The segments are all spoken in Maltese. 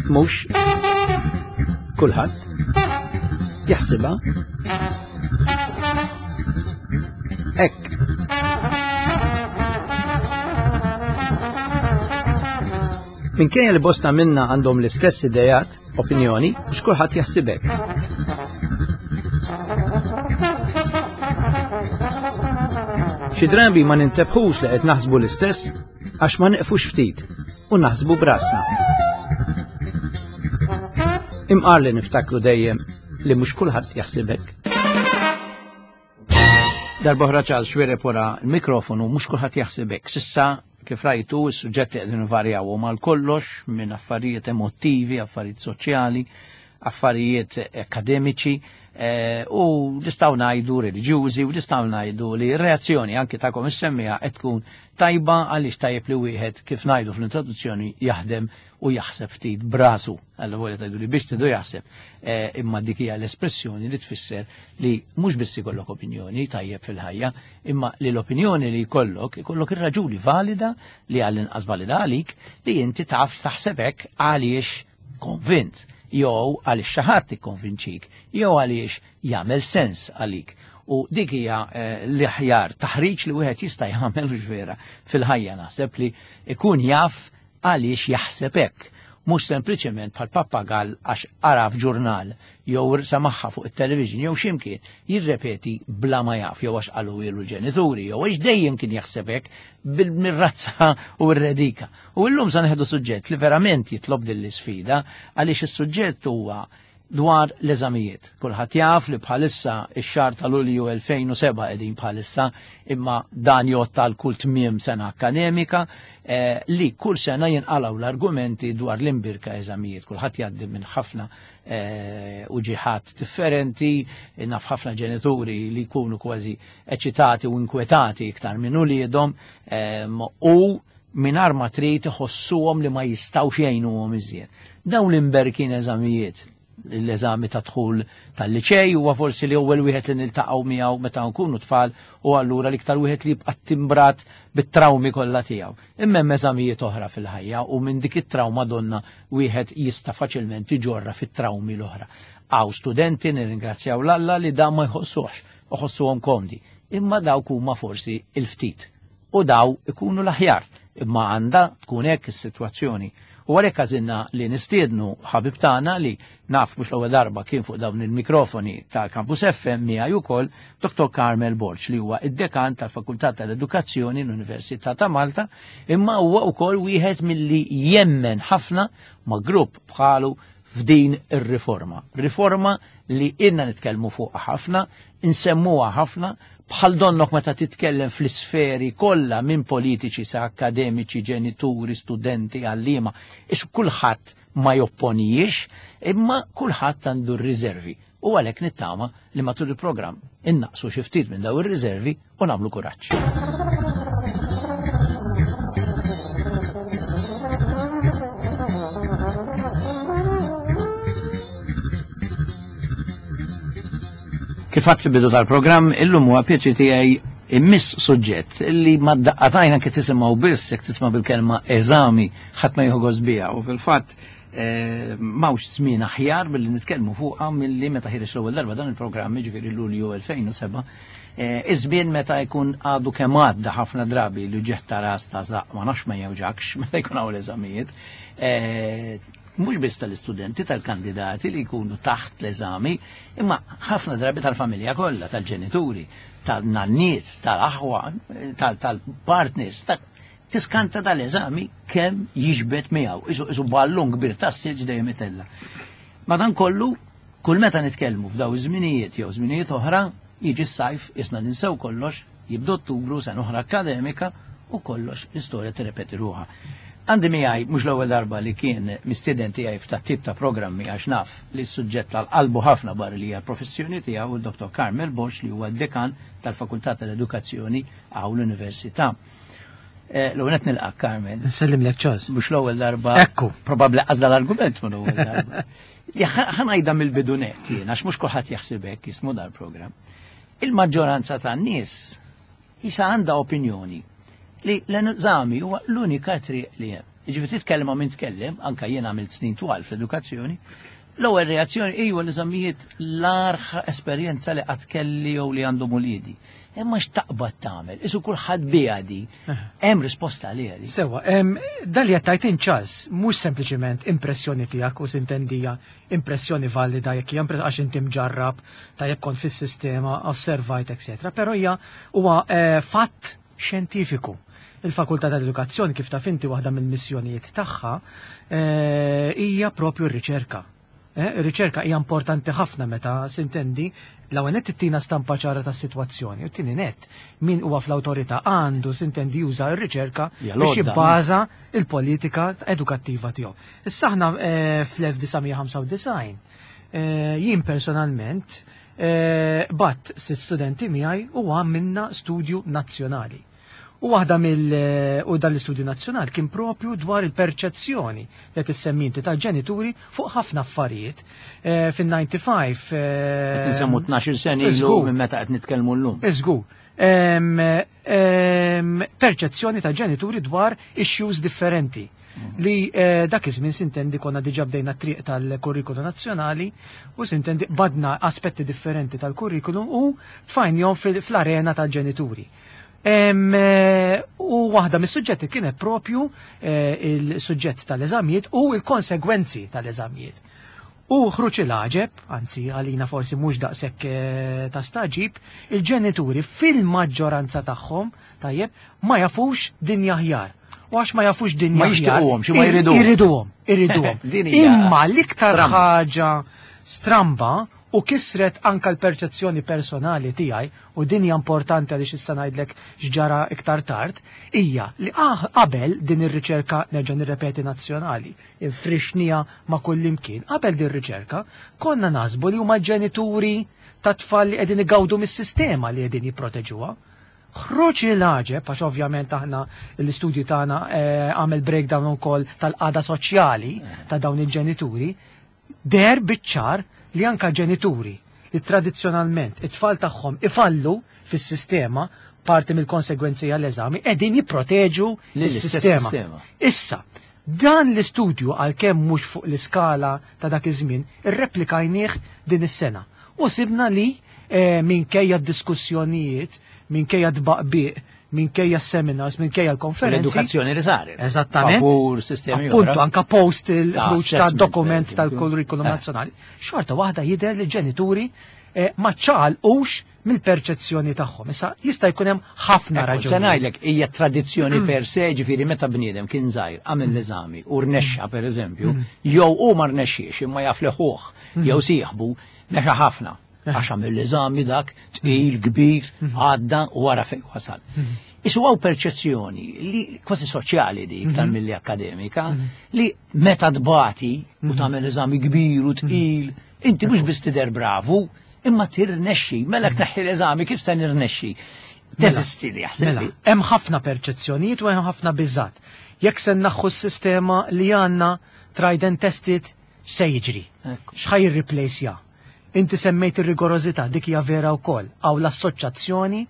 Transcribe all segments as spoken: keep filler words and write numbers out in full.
Mhux kulħadd jaħsibha hekk. Minkejja li bosta minna għandhom l-istess idejat, opinjoni, mhux kulħadd jaħsib hekk. Xi drabi ma nintebħux li qed naħsbu l-istess għax ma neqfux ftit u naħsbu brasna. Imqar li niftakru dejjem li mhux kulħadd jaħsib hekk. Darb'oħra Charles Xuereb wara l-mikrofonu, mhux kulħadd jaħsib hekk. S'issa kif rajtu, is-suġġetti qegħdin varjaw mal kollox minn affarijiet emotivi, affarijiet soċjali, affarijiet akademiċi, eh, u nistgħu ngħidu reliġjużi, u nistgħu ngħidu li r-reazzjoni anki tagħkom is-semmiegħa qed tkun tajba, għaliex tajjeb li wieħed, kif ngħidu fl-introduzzjoni, jaħdem u jaħseb ftit brasu. Alla volja tgħidu li biex tidu jaħseb, eh, imma dik hija l-espressjoni li tfisser li mhux biss ikollok opinjoni tajjeb fil-ħajja, imma li l-opinjoni li jkollok, ikollok ir-raġuni valida li għall-inqas valida għalik li inti taf taħseb hekk għaliex konvint, jew għaliex xi ħadd ikkonvinċik, jew għaliex jagħmel sens għalik. U dik hija, eh, l-aħjar taħriġ li wieħed jista' jagħmel vera fil-ħajja, naħseb li ikun jaf għaliex jaħseb hekk, mhux sempliċement bħal pappagall għax qara f'ġurnal jew samaħħa fuq it-television jew x'imkien jirrepeti bla ma jaf, jew għax qalu ilu l-ġenituri, jew għax dejjem kien jaħseb hekk bil-mirrazza u r-redika. U llum sa neħdu suġġett li verament jitlob din l-isfida, għaliex is-suġġett huwa dwar l-eżamijiet. Kulħadd jaf li bħalissa ix-xahar ta' Lulju elfejn u seba' qegħdin bħalissa, imma dan jgħodd għal kull tmiem sena akademika, eh, li kull sena jinqalgħu l-argumenti dwar l-imbirka eżamijiet. Kulħadd jgħaddi minn ħafna, eh, uġiħat differenti, naf ħafna ġenituri li jkunu kważi eċitati u inkwetati iktar minn uliedhom, ehm, u mingħajr ma trid iħossuhom li ma jistgħux jgħinuhom iżjed. Dawn l-imberkin eżamijiet, l-eżami ta' dħul tal-liċej huwa forsi li ewwel wieħed li niltaqgħu miegħu meta nkunu tfal, u allura l-iktar wieħed li jibqa' timbrat bit-trawmi kollha tiegħu. Imma hemm eżamijiet oħra fil-ħajja, u minn dik it-trawma donna wieħed jista' faċilment iġorra fit-trawmi l-oħra. Hawn studenti, nirringrazzjaw l-Alla, li dan ma jħossuhx, iħossuhom komdi, imma dawk huma forsi il-ftit u daw ikunu l-aħjar, imma għandha tkun hekk is-sitwazzjoni. U għalhekk għażilna li nistiednu ħabib tagħna li naf mhux l-ewwel darba kien fuq dawn il-mikrofoni tal-Campus F M miegħi wkoll, Doktor Carmel Borg, li huwa id-dekan tal-Fakultà tal-Edukazzjoni l-Università ta' Malta, imma huwa wkoll wieħed milli jemmen ħafna ma' grupp bħalu f'din ir-riforma. Riforma li ilna nitkellmu fuqha ħafna, insemmuha ħafna, bħal donnok meta titkellem fl-isferi kollha minn politiċi sa akademiċi, ġenituri, studenti, għalliema, isu kulħadd ma jopponijiex, imma kulħadd għandu r-riservi. U għalhekk nittama li matul il-programm innaqsu xi ftit minn daw ir-riservi u nagħmlu kuraġġ. Kif għadt fil-bidu tal-programm, illum huwa pjaċir tiegħi immiss suġġett li ma ddaqqatajna kif tisimgħu biss, jekk tisma' bil-kelma eżami, ħadd ma jieħu gost biha. U fil-fatt, eh, m'hawnx żmien aħjar billi nitkellmu fuqha milli meta ħireġ l-ewwel darba dan il-programm, jiġifieri Lulju elfejn u seba', eh, iż-żmien meta jkun għadu kemm għadda ħafna drabi li ġeħ ta' ras ta' żaqq ma nafx ma jewġakx meta jkun hawn l-eżamijiet. Eh, mhux biss tal-istudenti, tal-kandidati li jkunu taħt l-eżami, imma ħafna drabi tal-familja kollha, tal-ġenituri, tal-nanniet, tal-aħwa, tal-, tal-partners, ta-, tiskanta dal-eżami kemm jiġbed miegħu, isu, isu ballun kbir tas-silġ dejjem itella. Madankollu, kull meta nitkellmu f'daw iż-żminijiet jew żminijiet oħra, jiġi s-sajf, isna ninsew kollox, jibda Ottubru, sena oħra akademika, u kollox l-istorja tirrepeti ruħha. Għandi miegħi mhux l-ewwel darba li kien mistieden tiegħi f'ta' tip ta' programmi, għax naf li s-suġġett tal-qalbu ħafna barra li hija l-professjoni tiegħu, il-Doktor Carmel Borg, li huwa d-dekan tal-Fakultà tal-Edukazzjoni hawn l-Università. Eh, l-ewwel qed nilqak, Carmel. Nsellimlek, Charles. Mhux l-ewwel darba. Ekku. Probabbli għażla l-argument minn l-ewwel darba. Ja, ħa-, ħa ngħidha mill-bidu nett jien, għax mhux kulħadd jaħseb hekk jismu dal-programm. Il-maġġoranza tan-nies jisa għandha opinjoni li l-eżami huwa l-unika triq li hemm. Jiġifieri titkellem ma' min tkellem, anka jien għamilt snin twal fl-edukazzjoni, l-ewwel reazzjoni ejwa l-eżamijiet l-agħar esperjenza li qatt kelli jew li għandhom uliedi. Imma x'taqbad tagħmel? Isu kulħadd biha di. Hemm risposta għaliha di. Sewa, dan li għedt int, Charles, mhux sempliċement impressjoni tiegħek u s'intendi hija impressjoni valida jekk hija għax inti mġarrab ta' jekk kont fis-sistema, osservajt, eċetera. Però hija huwa eh, fatt xjentifiku. Il-Fakultà tal-Edukazzjoni, kif taf inti, waħda mill-missjonijiet tagħha eh, hija propju r-riċerka. Eh, Ir-riċerka hija importanti ħafna meta s'intendi l-ewwel nett ittina stampa ċara tas-sitwazzjoni u t-tieni nett min huwa fl-awtorità għandu s'intendi juża r-riċerka Hija biex l-għodda. jibbaża il-politika edukattiva tiegħu. Issa aħna eh, fl-elf disa' mija ħamsa u disgħin eh, jien personalment eh, bgħatt sitt studenti miegħi u għamilna studju nazzjonali. U waħda mill u dan l-istudju nazzjonali kien propju dwar il-perċezzjoni li tissemmi inti tal-ġenituri fuq ħafna affarijiet. Eh, Fin-ħamsa u disgħin Qed nsemmu tnax-il sena ilu Iżgur. minn meta qed nitkellmu llum. Iżgur. Em, em, Perċezzjoni ta' ġenituri dwar issues differenti li eh, dak iż-żmien s'intendi konna diġà bdejna triq tal-kurrikulu nazzjonali u s'intendi badna aspetti differenti tal-kurrikulum u tfajnihom fil- fl-arena tal-ġenituri. Em, eh, U waħda mis-suġġetti kienet propju eh, il-suġġett tal-eżamijiet u il-konsegwenzi tal-eżamijiet. U ħruġ il-għaġeb, anzi għalina forsi mhux daqshekk eh, ta' stagħġib, il-ġenituri fil-maġġoranza tagħhom, tajjeb, ma jafux dinja aħjar. U għax ma jafux dinja Ma aħjar, jixtiequhomx, ma ir- jriduhom. Iriduhom, iriduhom. Din hija Imma l-iktar stramba. ħaġa stramba u kisret anka l-perċezzjoni personali tiegħi, u din hija importanti għaliex issa ngħidlek x'ġara iktar tard, hija li ah, qabel din ir-riċerka, nerġa' nirrepeti, nazzjonali, infrixnieha ma' kullimkien, qabel din ir-riċerka konna naħsbu li huma ġenituri ta' tfal li qegħdin igawdu mis-sistema li qegħdin jipproteġuha. Ħruġ il-għaġeb, għax ovvjament aħna l-istudju tagħna eh, għamel breakdown ukoll tal-qagħda soċjali ta' dawn il-ġenituri, deher biċ-ċar li anka ġenituri li tradizzjonalment it-tfal tagħhom ifallu fis-sistema, parti mill-konsegwenzi għall-eżami, qegħdin jipproteġu Lill-istess is-sistema. sistema. Issa, dan l-istudju, għalkemm mhux fuq l-iskala ta' dak iż-żmien, irreplikajnieh din is-sena. U sibna li eh, minkejja d-diskussjonijiet, minkejja tbaqbiq, minkejja seminars, minkejja l-konferenzi. L-edukazzjoni li saret. Eżattament. Favur sistemi Appuntu, oħra. anka post il-ħruġ ta' assessment, dokument per eżempju. tal-kurrikulum Eh. nazzjonali. Xorta waħda jidher li ġenituri eh, ma ċaqalqux mill-perċezzjoni tagħhom. Issa jista' jkun hemm ħafna Ekku, se raġunijiet. ngħidlek hija tradizzjoni per se, ġifieri meta bniedem kien żgħir għamel l-eżami u rnexxa pereżempju, jew hu ma rnexxiex imma jaf li ħuh jew sieħbu nexa ħafna. Għax għamel l-eżami dak tqil kbir għadda u wara fejn wasal. Isu hawn perċezzjoni li kważi soċjali di iktar milli akademika li meta tbati u tagħmel eżami kbir u tqil, inti mhux biss tidher bravu, imma tirnexxi, mela tneħħi l-eżami kif se nirnexxi? Teżisti li jaħseb Mela, li. hemm ħafna perċezzjonijiet u hemm ħafna biżat. Jekk se nneħħu s-sistema li għandna tried and tested, se jiġri? Ekku. X'ħa jirreplaceja? Inti semmejt ir-rigorożità, dik hija vera wkoll. Hawn l-assoċjazzjoni,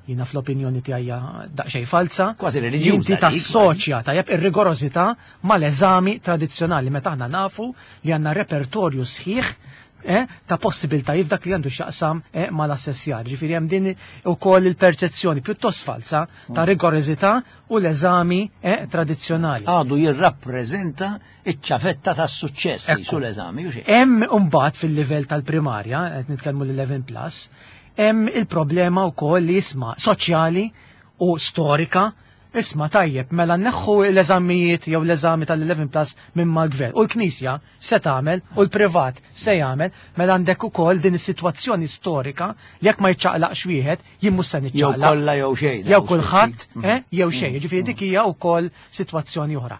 jiena fl-opinjoni tiegħi hija daqsxejn falsa. Kważi reliġjuża Inti dik, tassoċja tajjeb ir-rigorożità mal-eżami tradizzjonali meta aħna nafu li għandna repertorju sħiħ eh, ta' possibiltajiet dak li għandu x'jaqsam eh, mal-assessjar. Ġifieri hemm din ukoll il-perċezzjoni pjuttost falsa ta' rigorożità u l-eżami eh, tradizzjonali. Għadu jirrappreżenta iċ-ċavetta tas-suċċess Ekku. sul-eżami u xejn. Hemm imbagħad fil-livell tal-primarja, qed nitkellmu l-eleven plus, hemm il-problema wkoll li jisma' soċjali u storika. Isma' tajjeb, mela nneħħu l-eżamijiet jew l-eżami tal-eleven plus minn mal-gvern. U l-Knisja se tagħmel u l-privat se jagħmel, mela għandek ukoll din is-sitwazzjoni storika li jekk ma jiċċaqlaqx wieħed, jien mhux se Jew niċċaqlaq. kollha jew xejn. Jew kulħadd, eh, jew xejn. Ġifieri dik hija wkoll sitwazzjoni oħra.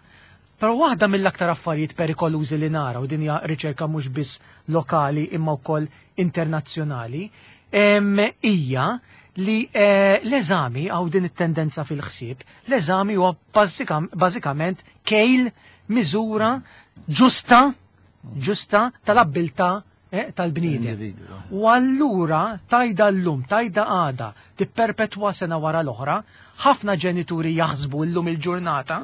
Però waħda mill-aktar affarijiet perikolużi li nara, u din hija riċerka mhux biss lokali imma wkoll internazzjonali, em, hija li eh, l-eżami hawn din it-tendenza fil-ħsieb, l-eżami huwa bażikam- bażikament kejl, miżura ġusta ġusta tal-abbiltà eh, tal-bniedem. Individwu. U allura tajda llum, tajda għada, tipperpetwa sena wara l-oħra, ħafna ġenituri jaħsbu llum il-ġurnata,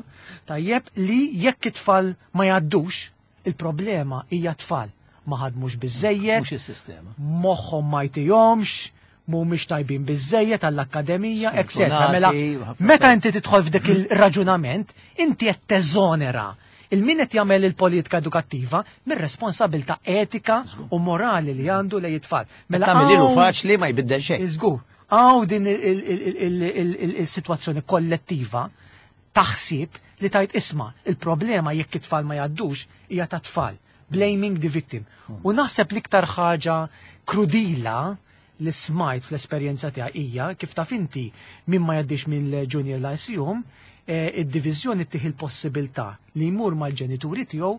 tajjeb li jekk it-tfal ma jgħaddux, il-problema hija tfal. Ma ħadmux biżejjed, Mhux is-sistema. moħħhom ma jtihomx, mhumiex tajbin biżejjed għall-akkademija, eccetera. Mela, Sfortunati, ħafna meta inti tidħol f'dik il-raġunament, inti qed teżonera il-min qed jagħmel il-politika edukattiva mir-responsabilità etika u morali li għandu lejn it-tfal. Mela tagħmel hawn- faċli ma jbiddel xejn. Iżgur, hawn din il- il- il- il- il- il-sitwazzjoni kollettiva taħsib li tajt isma' il-problema jekk it-tfal ma jgħaddux hija ta' tfal. Blaming the victim. U naħseb l-iktar ħaġa krudila li smajt fl-esperjenza tiegħi hija kif taf inti min ma jgħaddix mill-Junior Lyceum, eh, id-diviżjoni tih il-possibilità li jmur mal-ġenituri tiegħu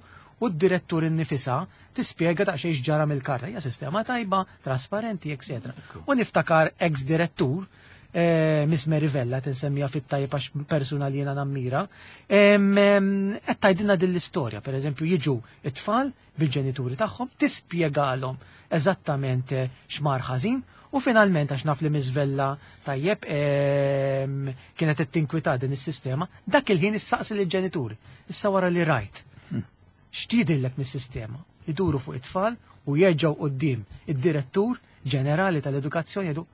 u d-direttur innifisha tispjega daqsxejn x'ġara mill-karta. Hija sistema tajba, trasparenti, eccetera. U niftakar ex-direttur, eh, Miss Mary Vella, tinsemmija fit-tajb għax persuna li jiena nammira, em, em, qed tgħidilna din l-istorja, per eżempju, jiġu it-tfal bil-ġenituri tagħhom, tispjegalhom eżattament eh, x'mar ħażin, u finalment għax naf li Miss Vella tajjeb em, kienet qed tinkwita din is-sistema, dak il-ħin issaqsi lill-ġenituri. Issa wara li rajt. X'tidillek mis-sistema? Iduru fuq it-tfal u jerġgħu quddiem id-direttur ġenerali tal-edukazzjoni jgħidu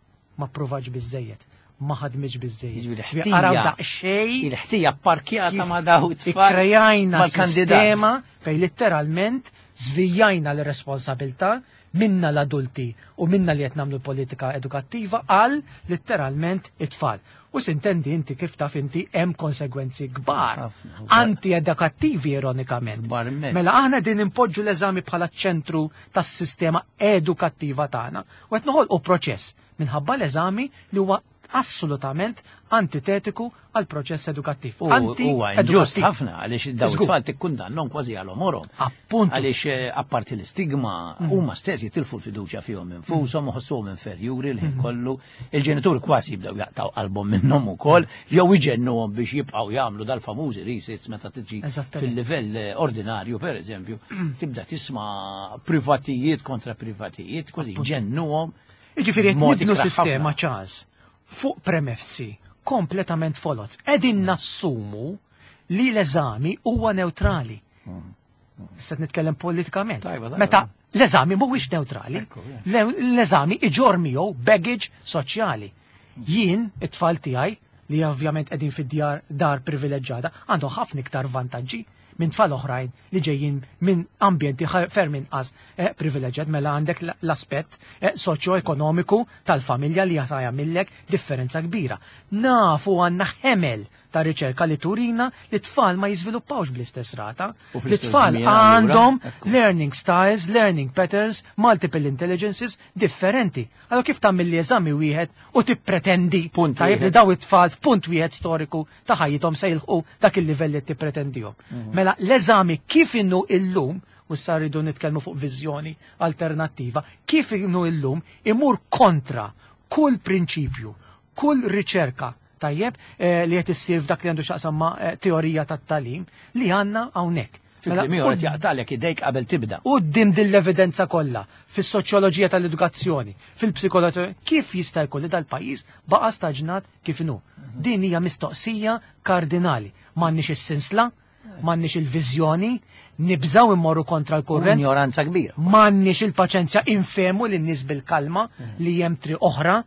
ma provax biżejjed, ma ħadmitx biżejjed. Jiġifieri Ġifieri Araw ħtija- daqsxejn Il-ħtija parkjata kif ma daw it-tfal. Ikkrejajna mal-kandidat. sistema fej letteralment zvijajna l-responsabilità minna l-adulti u minna li qed nagħmlu politika edukattiva għal letteralment it-tfal. U sintendi inti kif taf inti hemm konsegwenzi kbar, Ħafna. anti-edukattivi ironikament. Kbar immens. Mela aħna din impoġġu l-eżami bħala ċentru tas-sistema edukattiva tagħna u qed noħolqu proċess minħabba l-eżami li huwa assolutament antitetiku għal proċess edukattiv. U huwa inġust Anti-edukattiv. ħafna għaliex daw Żgur. it-tfal tikkundannhom kważi għal għomorhom. Appuntu. Għaliex eh, apparti l-istigma huma stess jitilfu l-fiduċja fihom infushom u ħossuhom inferjuri l-ħin kollu. Il-ġenituri kważi jibdew jaqtaw qalbhom minnhom ukoll jew iġennuhom biex jibqgħu jagħmlu dal-famużi resits meta tiġi Eżattament. fil-livell eh, ordinarju pereżempju, tibda tisma' privatijiet kontra privatijiet, kważi ġennuhom. Jiġifieri qed b'mod nibnu ikrah sistema ħafna. ċans fuq premessi kompletament foloz. Qegħdin nassumu li l-eżami huwa neutrali. Issa qed nitkellem politikament. Tajba, tajba. Meta l-eżami mhuwiex neutrali, Ekku, yeah. le- l-eżami iġorr miegħu baggage soċjali. Jien, it-tfal tiegħi, li ovvjament qegħdin fid-djar dar privileġġata, għandhom ħafna iktar vantaġġi minn tfal oħrajn li ġejjin minn ambjenti ħa- ferm inqas eh, privileġġat mela għandek l- l-aspett eh, soċjo-ekonomiku tal-familja li jista' jagħmillek differenza kbira. Nafu għandna ħemel ta' riċerka li turina li tfal ma jiżviluppawx bl-istess rata. U Li fl-istess tfal żmien allura, għandhom ekku. learning styles, learning patterns, multiple intelligences differenti. Allora kif tagħmel li eżami wieħed u tippretendi Punt tajjeb li wieħed. daw it-tfal f'punt wieħed storiku ta' ħajjithom se jilħqu dak il-livell li tippretendihom. Mhm. Mela l-eżami kif inhu illum u issa rridu nitkellmu fuq viżjoni alternattiva, kif inhu illum imur kontra kull prinċipju, kull riċerka tajjeb eh, li qed issir f'dak li għandu x'jaqsam ma' eh, teorija tat-tagħlim li għandna hawnhekk. Fi Mela, kliem ieħor qed jaqtalek idejk qabel tibda. Quddiem din l-evidenza kollha fis-soċjoloġija tal-edukazzjoni, fil-psikoloġija, kif jista' jkun li dal-pajjiż baqa' staġnat kif inhu? Din hija mistoqsija kardinali. M'għandniex is-sinsla, m'għandniex il-viżjoni, nibżaw immorru kontra l-kurrent, Ignoranza kbira. m'għandniex il-paċenzja infemu lin-nies bil-kalma li hemm triq oħra,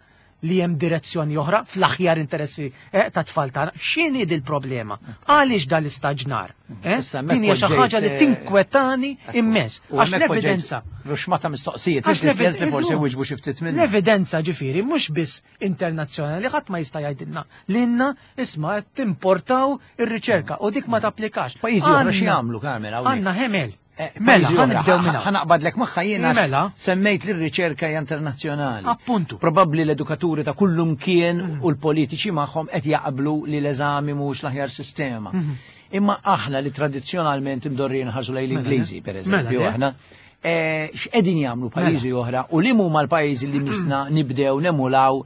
li hemm direzzjoni oħra fl-aħjar interessi eh, ta' tfal tagħna. X'inhi dil-problema? Għaliex dal-istaġnar? Eh? Issa hemmhekk Din hija xi ħaġa li poġġejt, eh, tinkwetani immens. U Għax hemmhekk l-evidenza. poġġejt Ruxmata mistoqsijiet, Għax inti stess li forsi l-evidenza- wiġbu xi ftit minnhom. L-evidenza ġifieri mhux biss internazzjonali ħadd ma jista' jgħidilna lilna isma' qed timportaw ir-riċerka u dik ma tapplikax. Pajjiżi oħra Għandna- x'jagħmlu, Carmen, hawnhekk? Għandna ħemel. Eh, Mela, pajjiżi oħra, ħanibdew minn hawn. Ħanaqbadlek magħha jiena għax Mela. semmejt li r-riċerka hija internazzjonali. Appuntu. Probabbli l-edukaturi ta' kullum kien u l-politiċi magħhom qed jaqblu li l-eżami mhux l-aħjar sistema. Imma aħna li tradizzjonalment imdorrin ħarsu lejn l-Ingliżi, per eżempju, Mela, aħna eh, x'qegħdin jagħmlu pajjiżi oħra u li huma l-pajjiżi li misna nibdew nemulaw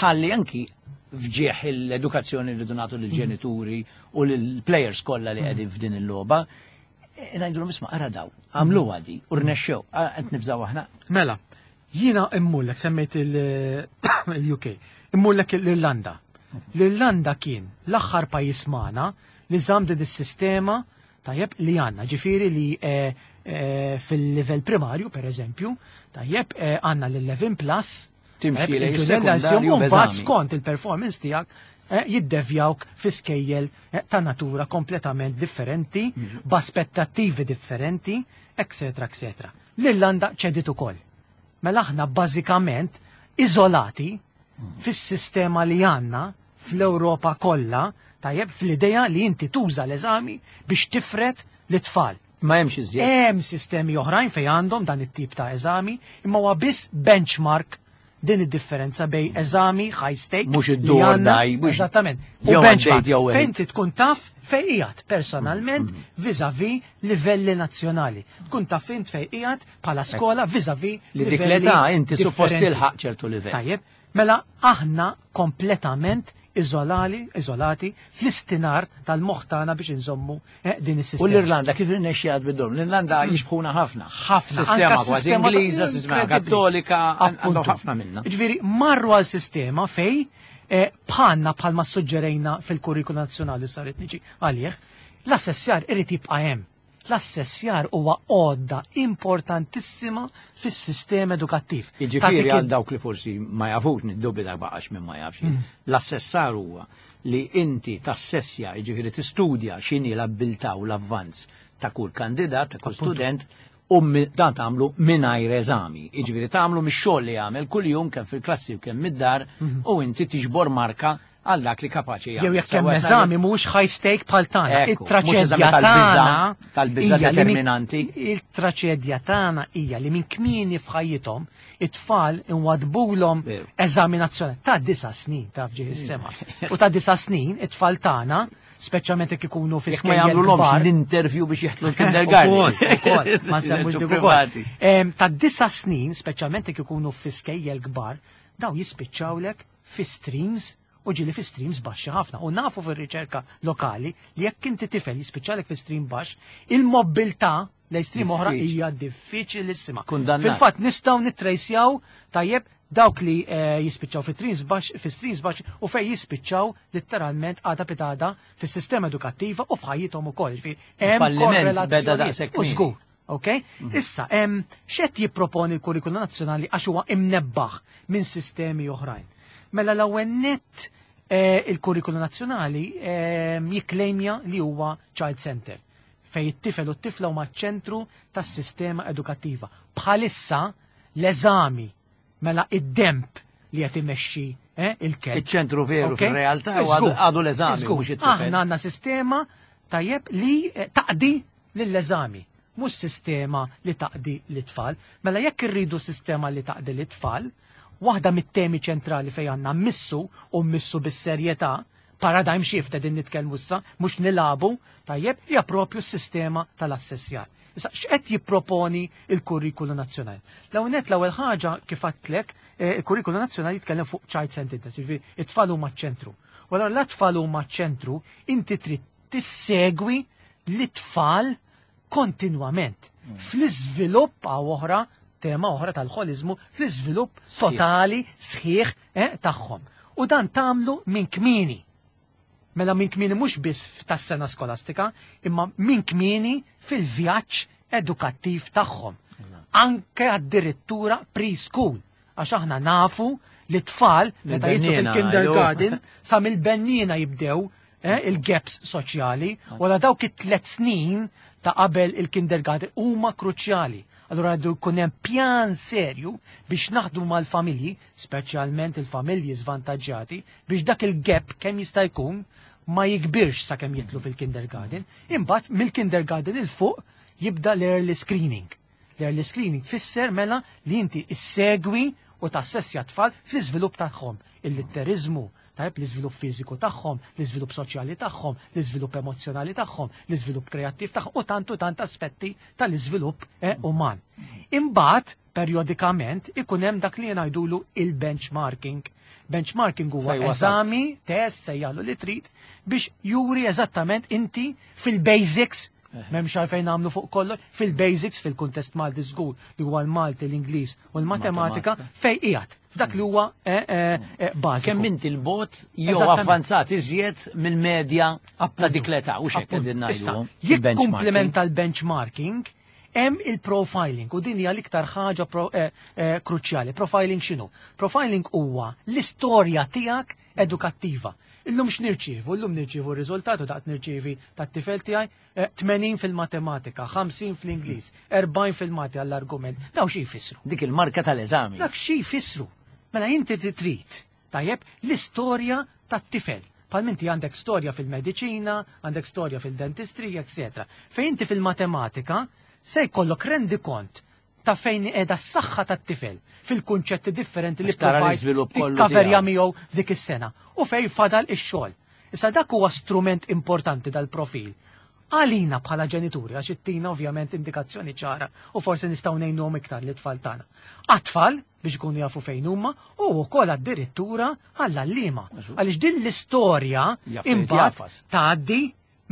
ħalli anki fġieħ l-edukazzjoni li donatu lill-ġenituri u lill-players kollha li qegħdin f'din il-logħba. Ngħidulhom, isma', ara daw, għamlu għadi, u rnexxew, qed nibżgħu aħna. Mela, jiena immurlek, semmejt il-U K, immurlek l-Irlanda. L-Irlanda kien l-aħħar pajjiż magħna li żamm din is-sistema, tajjeb, li għandna, ġifieri li eh, eh, fil-livell primarju, per eżempju, tajjeb, eh, għandna l-eleven plus, Timxi tajjeb, lejn il-ġurnal is-sekondarju u mbagħad b'eżami. skont il-performance tiegħek eh, jiddevjawk fi skejjel eh, ta' natura kompletament differenti, b'aspettattivi differenti, eccetera, eccetera. L-Irlanda ċedit ukoll. Mela aħna bażikament iżolati fis-sistema li għandna fl-Ewropa kollha, tajjeb, fl-idea li inti tuża l-eżami biex tifret l-tfal. Ma hemmx iżjed. Hemm sistemi oħrajn fejn għandhom dan it-tip ta' eżami, imma huwa biss benchmark din id-differenza bejn eżami high stake Mhux li id-do or għandna- die, mhux Eżattament. U jew benchmark għaddejt jew fejn inti tkun taf fejn qiegħed personalment vis-à-vis livelli nazzjonali. Tkun taf int fejn qiegħed bħala skola vis-à-vis Li dik livelli l-età inti suppost differenti. tilħaq ċertu livell. Tajjeb, mela aħna kompletament iżolali, iżolati fl-istinar tal-moħħ tagħna biex inżommu eh, din U is-sistema. l-Irlanda kif irnexxiet bid-dom? L-Irlanda jixbħuna ħafna. Ħafna. Sistema Anka kważi sistema Ingliża, sistema inkredibbli. Kattolika, għandhom Appuntu. ħafna minna. Ġifieri, marru għal sistema fej eh, bħalna bħalma suġġerejna fil-kurrikulu nazzjonali saret niġi għalih, l-assessjar irid jibqa' hemm. L-assessjar huwa għodda importantissima fis-sistema edukattiv. Jiġifieri Tagħtik għal dawk li forsi ma jafux, niddubita baqax minn ma jafx. L-assessar huwa li inti tassessja, jiġifieri tistudja x'inhi l-abbiltà u l-avvanz ta' kull kandidat, ta' kull student, u mi- dan tagħmlu mingħajr eżami. Jiġifieri tagħmlu mix-xogħol li jagħmel kuljum, kemm fil-klassi u kemm mid-dar, u inti tiġbor marka għal dak li kapaċi jagħmel. Jew jekk hemm Sewwa eżami mhux high stake bħal tagħna. Ekku, mhux eżami Il-traċedja tal-biża', tagħna tal-biża' hija li min- determinanti. Il-traċedja tagħna hija li minn kmieni f'ħajjithom it-tfal inwadbulhom Veru. eżami nazzjonali ta' disa' snin, taf ġieħ is-sema. U ta' disa' snin it-tfal tagħna, speċjalment jekk ikunu fi Jekk ma skejjel jagħmlulhomx kbar, l-interview biex jeħtlu l-kindergarten. Ukoll, ukoll, ma nsemmux dik ukoll. Privati. Em, Ta' disa' snin, speċjalment jekk ikunu fi skejjel kbar, daw jispiċċawlek fi streams u ġieli fi streams baxxi ħafna. U nafu fir-riċerka lokali li jekk inti tifel jispiċċalek fi stream baxx, il-mobilità lejn stream oħra Diffiċli. hija diffiċilissima. Kundannat. Fil-fatt nistgħu nittrejsjaw, tajjeb, dawk li eh, jispiċċaw fi streams baxx fi streams baxx u fej jispiċċaw letteralment għada pitada fis-sistema edukattiva u f'ħajjithom ukoll. Ġifieri, hemm Il-falliment beda korrelazzjonijiet. daqshekk U kmieni. żgur. Ok? Issa, hemm x'qed jipproponi l-kurrikulu nazzjonali għax huwa imnebbaħ minn sistemi oħrajn? Mela l-ewwel nett eh, il-kurrikulu nazzjonali eh, jikklejmja li huwa child center fej it-tifel u t-tifla huma ċentru tas-sistema edukattiva. Bħalissa l-eżami, mela id-demp li qed imexxi eh, il-kelb. Iċ-ċentru veru Ok? fir-realtà huwa Żgur, għadu l-eżami, żgur. mhux it-tifel. Aħna għandna sistema, tajjeb, li eh, taqdi lill-eżami, mhux sistema li taqdi l-tfal. Mela jekk irridu sistema li taqdi l-tfal, waħda mit-temi ċentrali fejn għandna missu u missu bis-serjetà, paradigm shift din nitkellmu issa, mhux nilabu, tajjeb, hija propju s-sistema tal-assessjar. Issa, x'qed jipproponi il-kurrikulu nazzjonali? L-ewwel nett, l-ewwel ħaġa, kif għedtlek, eh, il-kurrikulu nazzjonali jitkellem fuq child centeredness, jiġifieri it-tfal huma ċ-ċentru. U allura l-tfal huma ċ-ċentru, inti trid tissegwi l-tfal kontinwament fl-iżvilupp, għaw oħra, tema oħra tal-ħoliżmu, fl-iżvilupp totali sħiħ eh, tagħhom. U dan tagħmlu minn kmieni. Mela minn kmieni mhux biss tas-sena skolastika, imma minn kmieni fil-vjaġġ edukattiv tagħhom. Anke addirittura preschool, għax aħna nafu li tfal meta jidħlu Mill-bennina, fil-kindergarten sa mill-bennina jibdew eh, il-gaps soċjali, u la dawk it-tlet snin ta' qabel il-kindergarten huma kruċjali. Allura għandu jkun hemm pjan serju biex naħdmu mal-familji, speċjalment il-familji żvantaġġjati, biex dak il-gap kemm jista' jkun ma jikbirx sakemm jidħlu fil-kindergarten. Imbagħad mill-kindergarten il fuq jibda l-early screening. L-early screening fisser mela li inti issegwi u tassessja tfal fl-iżvilupp tagħhom, il-litterizmu, tajb, l-iżvilupp fiżiku tagħhom, l-iżvilupp soċjali tagħhom, l-iżvilupp emozjonali tagħhom, l-iżvilupp kreattiv tagħhom u tant u tant aspetti tal-iżvilupp eh, uman. Imbagħad periodikament ikun hemm dak li ngħidulu il-benchmarking. Benchmarking huwa Fej wasalt. eżami, test, sejjalu li trid, biex juri eżattament inti fil-basics M'hemmx għalfejn nagħmlu fuq kollox fil-basics, fil-kuntest Malti żgur li huwa l-Malti, l-Ingliż u l-Matematika fejn qiegħed f'dak li huwa eh, eh, eh, bażiku. Kemm inti l-bot jew avvanzat iżjed mill-medja ta' dik l-età u x'hekk qegħdin ngħidu. Jekk komplementa l-benchmarking, hemm il-profiling u din hija l-iktar ħaġa kruċjali. Profiling x'inhu? Profiling huwa l-istorja tiegħek edukattiva. Illum x'nirċievu? Illum nirċievu r-riżultat u daqt nirċievi tat-tifel tiegħi tmenin fil-matematika, ħamsin fl-Ingliż, erbgħin fil-Malti għall-argument. Daw xi jfissru? Dik il-marka tal-eżami. Dak xi jfissru? Mela inti trid, tajjeb, l-istorja tat-tifel. Bħal minti għandek storja fil-mediċina, għandek storja fil-dentistrija, eċetera. Fejn inti fil-matematika se jkollok rendikont ta' fejn qiegħda s-saħħa tat-tifel fil-kunċetti differenti li tikkaverja miegħu f'dik is-sena u fejn fadal ix-xogħol. Issa dak huwa strument importanti dal-profil. Għalina bħala ġenituri, għax ittina ovvjament indikazzjoni ċara u forsi nistgħu ngħinuhom iktar lit-tfal tagħna. Għat-tfal biex ikunu jafu fejn huma u wkoll addirittura għall-għalliema. Għaliex din l-istorja imbagħad tgħaddi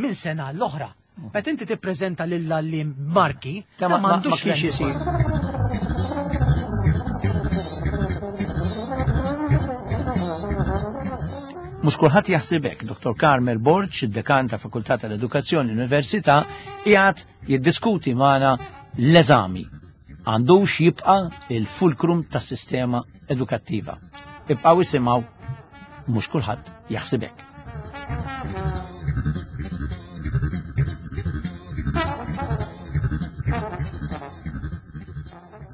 minn sena l-oħra. Meta inti tippreżenta lill-għalliem marki, ta' m'għandux kienx isir. Mhux kulħadd jaħseb hekk. Dottor Carmel Borg, id-dekan ta' Fakultà tal-Edukazzjoni Università, qiegħed jiddiskuti magħna l-eżami. Għandux jibqa' il-fulkrum tas-sistema edukattiva. Ibqgħu isimgħu, mhux kulħadd jaħseb hekk.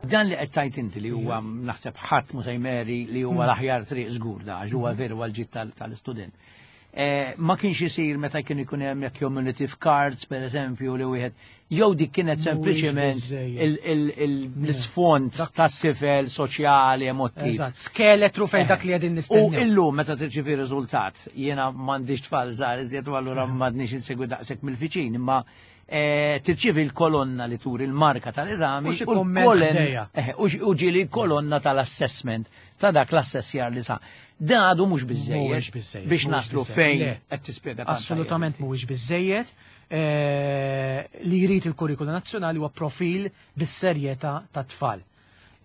Dan li qed tajt inti li huwa naħseb ħadd mhu se jmeri li huwa l-aħjar triq żgur da għax huwa veru għall-ġid tal-istudent. Ma kienx isir meta kien ikun hemm jekk cumulative cards pereżempju li wieħed jew dik kienet sempliċement l-isfond tas-sifel soċjali emottiv. Eżatt, skeletru fejn dak li qegħdin nistennew. U illum meta tirċievi riżultat, jiena m'għandix tfal żgħar iżjed u allura m'għadniex insegwi daqshekk mill-viċin, imma tirċievi l-kolonna li turi l-marka tal-eżami u ġieli l-kolonna tal-assessment ta' dak l-assessjar li sa. Dan għadu mhux biżejjed biex naslu fejn qed tispjega. Assolutament mhuwiex biżejjed. Li jrid il-kurrikula nazzjonali huwa profil bis-serjetà tat-tfal.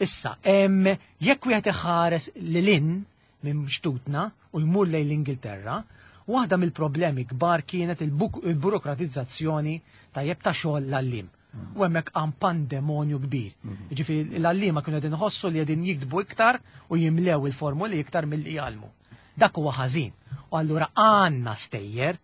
Issa, jekk wieħed iħares lil hinn minn xtutna u jmur lejn l-Ingilterra, waħda mill-problemi kbar kienet il-burokratizzazzjoni tajjeb ta' xogħol l-għalliem. U hemmhekk għam pandemonju kbir. Jiġifieri l-għalliema kienu qegħdin iħossu li qegħdin jiktbu iktar u jimlew il-formuli iktar milli jgħallmu. Dak huwa ħażin. U allura għandna stejjer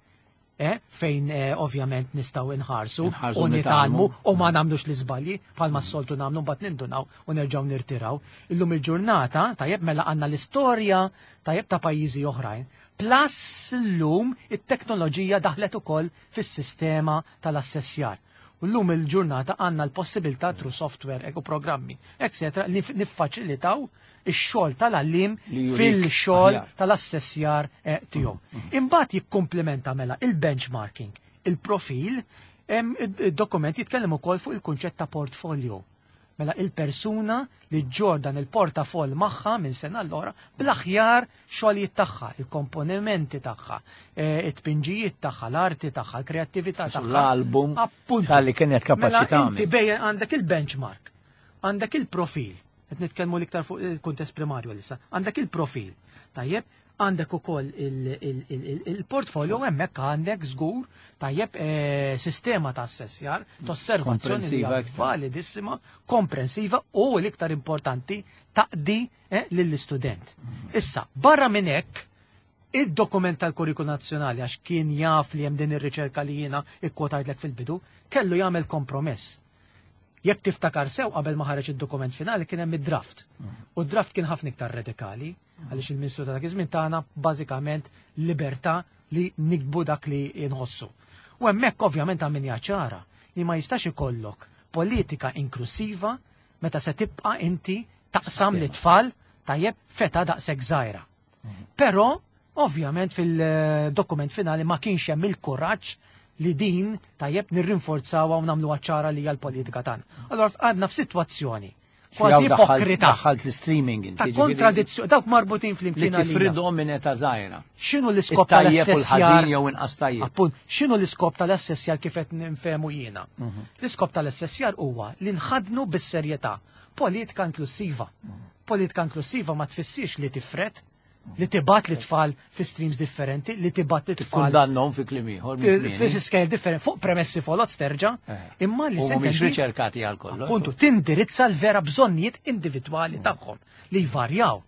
fejn ovvjament nistgħu inħarsu u nitgħallmu u ma nagħmlux l-iżbalji bħalma s-soltu nagħmlu mbagħad nindunaw u nerġgħu nirtiraw. Illum il-ġurnata tajjeb mela għandna l-istorja tajjeb ta' pajjiżi oħrajn. Plus illum it-teknoloġija daħlet ukoll fis-sistema tal-assessjar. U llum il-ġurnata għandna l-possibilità through software u programmi, eccetera, li niffaċilitaw ix-xogħol tal-għalliem fil-xogħol tal-assessjar tiegħu. Imbagħad jikkumplementa mela il-benchmarking, il-profil, id-dokument jitkellem ukoll fuq il-kunċett ta' portfolio. Mela il-persuna li ġordan il-portafoll magħha minn sena l-oħra bl-aħjar xogħlijiet tagħha, il-komponimenti tagħha, it-tpinġijiet tagħha, l-arti tagħha, l-kreattività tagħha. L-album tal-li kienet kapaċi tagħmel. Inti bejn għandek il-benchmark, għandek il-profil, qed nitkellmu l-iktar fuq il-kuntest primarju issa, għandek il-profil, tajjeb, għandek ukoll il-portfolio hemmhekk għandek żgur tajjeb sistema ta' assessjar, ta' osservazzjoni validissima, komprensiva u l-iktar importanti taqdi lill-istudent. Issa, barra minn hekk, id-dokument tal-Kurrikulu Nazzjonali għax kien jaf li hemm din ir-riċerka li jiena ikkwotajtlek fil-bidu, kellu jagħmel kompromess. Jekk tiftakar sew qabel ma ħareġ id-dokument finali kien hemm id-draft. U d-draft kien ħafna iktar radikali, għaliex il-Ministru ta' dak iż-żmien tagħna bażikament libertà li nikbu dak li nħossu. U hemmhekk ovvjament għamilha ċara li ma jistax ikollok politika inklusiva meta se tibqa' inti taqsam lit-tfal tajjeb feta daqshekk żgħira. Però ovvjament fil-dokument finali ma kienx hemm il-kuraġġ li din tajjeb nirrinforzawha u nagħmluha ċara li hija l-politika tagħna. Allora għadna f'sitwazzjoni kważi ipokrita. Daħħalt l-streaming inti. Ta' kontradizzjoni, dawk marbutin flimkien. Li tifridhom minn età żgħira. X'inhu l-iskop tal-assessjar? Jew inqas tajjeb. Appunt, x'inhu l-iskop tal-assessjar kif qed nfehmu jiena? L-iskop tal-assessjar huwa li nħadnu bis-serjetà politika inklusiva. Politika inklusiva ma tfissirx li tifred, li tibgħat lit-tfal fi streams differenti, li tibgħat lit-tfal. Tikkundannhom fi kliem ieħor. Fi scale differenti, fuq premessi folot terġa', imma li se mhumiex riċerkati għal kollox. Appuntu, tindirizza l-vera bżonnijiet individwali tagħhom li jvarjaw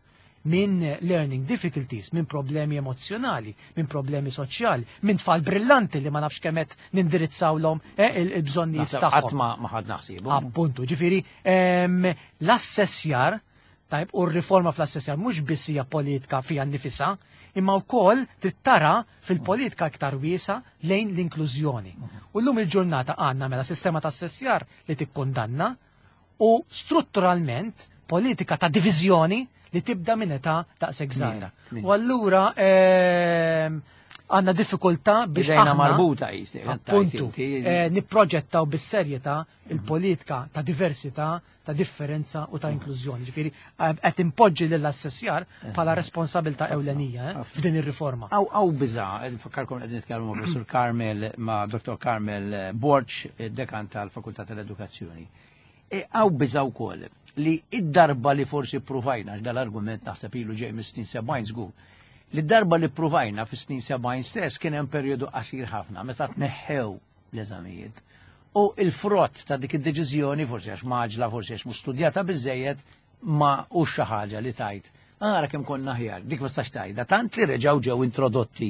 minn learning difficulties, minn problemi emozjonali, minn problemi soċjali, minn tfal brillanti li ma nafx kemm qed nindirizzawlhom il-bżonnijiet tagħhom. Qatt ma ħadd naħsibu. Appuntu, ġifieri l-assessjar tajb, u r-riforma fl-assessjar mhux biss hija politika fiha nnifisha, imma wkoll trid tara fil-politika iktar wiesa lejn l-inklużjoni. U llum il-ġurnata għandna mela sistema ta' assessjar li tikkundanna u strutturalment politika ta' diviżjoni li tibda minn età daqshekk żgħira. U allura għandna diffikultà biex aħna marbuta jisni. Appuntu, nipproġettaw bis-serjetà il-politika ta' diversità, ta' differenza u ta' inklużjoni. Ġifieri qed impoġġi lill-assessjar bħala responsabilità ewlenija f'din ir-riforma. Aw aw biża, nfakkarkom qed nitkellmu ma' Professur Carmel, ma' Dottor Carmel Borg, dekan tal-Fakultà tal-Edukazzjoni. Aw biża wkoll li id-darba li forsi provajna, dal-argument naħseb ilu ġej mis-snin sebgħin żgur, li d-darba li provajna fis-snin sebgħin stess kien hemm perjodu qasir ħafna meta tneħħew l-eżamijiet. U il-frott ta' dik id-deċiżjoni, forsi għax maġla, forsi għax mhux studjata biżejjed, ma hux xi ħaġa li tajt. Ara kemm konna aħjar, dik ma tistax tgħidha, tant li reġgħu ġew introdotti.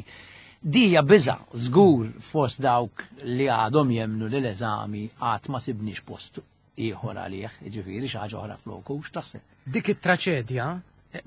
Dija biża' żgur fost dawk li għadhom jemnu li l-eżami qatt ma sibniex post ieħor għalih, jiġifieri xi ħaġa oħra floku, x'taħseb? Dik it-traċedja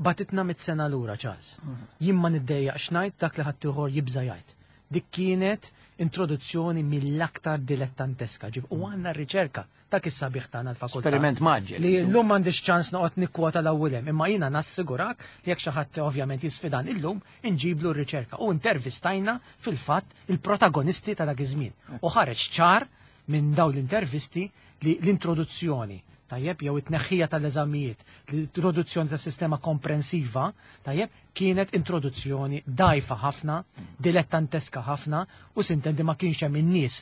batitna mit sena lura, Charles. Jien ma niddejjaqx ngħid dak li ħadd ieħor jibża' jgħid. Dik kienet introduzzjoni mill-aktar dilettanteska. Ġif, u għandna r-riċerka dak is-sabiħ tagħna l-fakultà. Esperiment maġġel. Li llum m'għandix ċans noqgħod nikkwota l-ewwel hemm, imma jiena nassigurak li jekk xi ħadd ovvjament jisfidan illum inġiblu r-riċerka. U intervistajna fil-fatt il-protagonisti ta' dak iż-żmien. U ħareġ ċar minn dawn l-intervisti li l-introduzzjoni tajjeb jew it-tneħħija tal-eżamijiet, l-introduzzjoni tas sistema komprensiva, tajjeb, kienet introduzzjoni dajfa ħafna, dilettanteska ħafna, u sintendi ma kienx hemm in-nies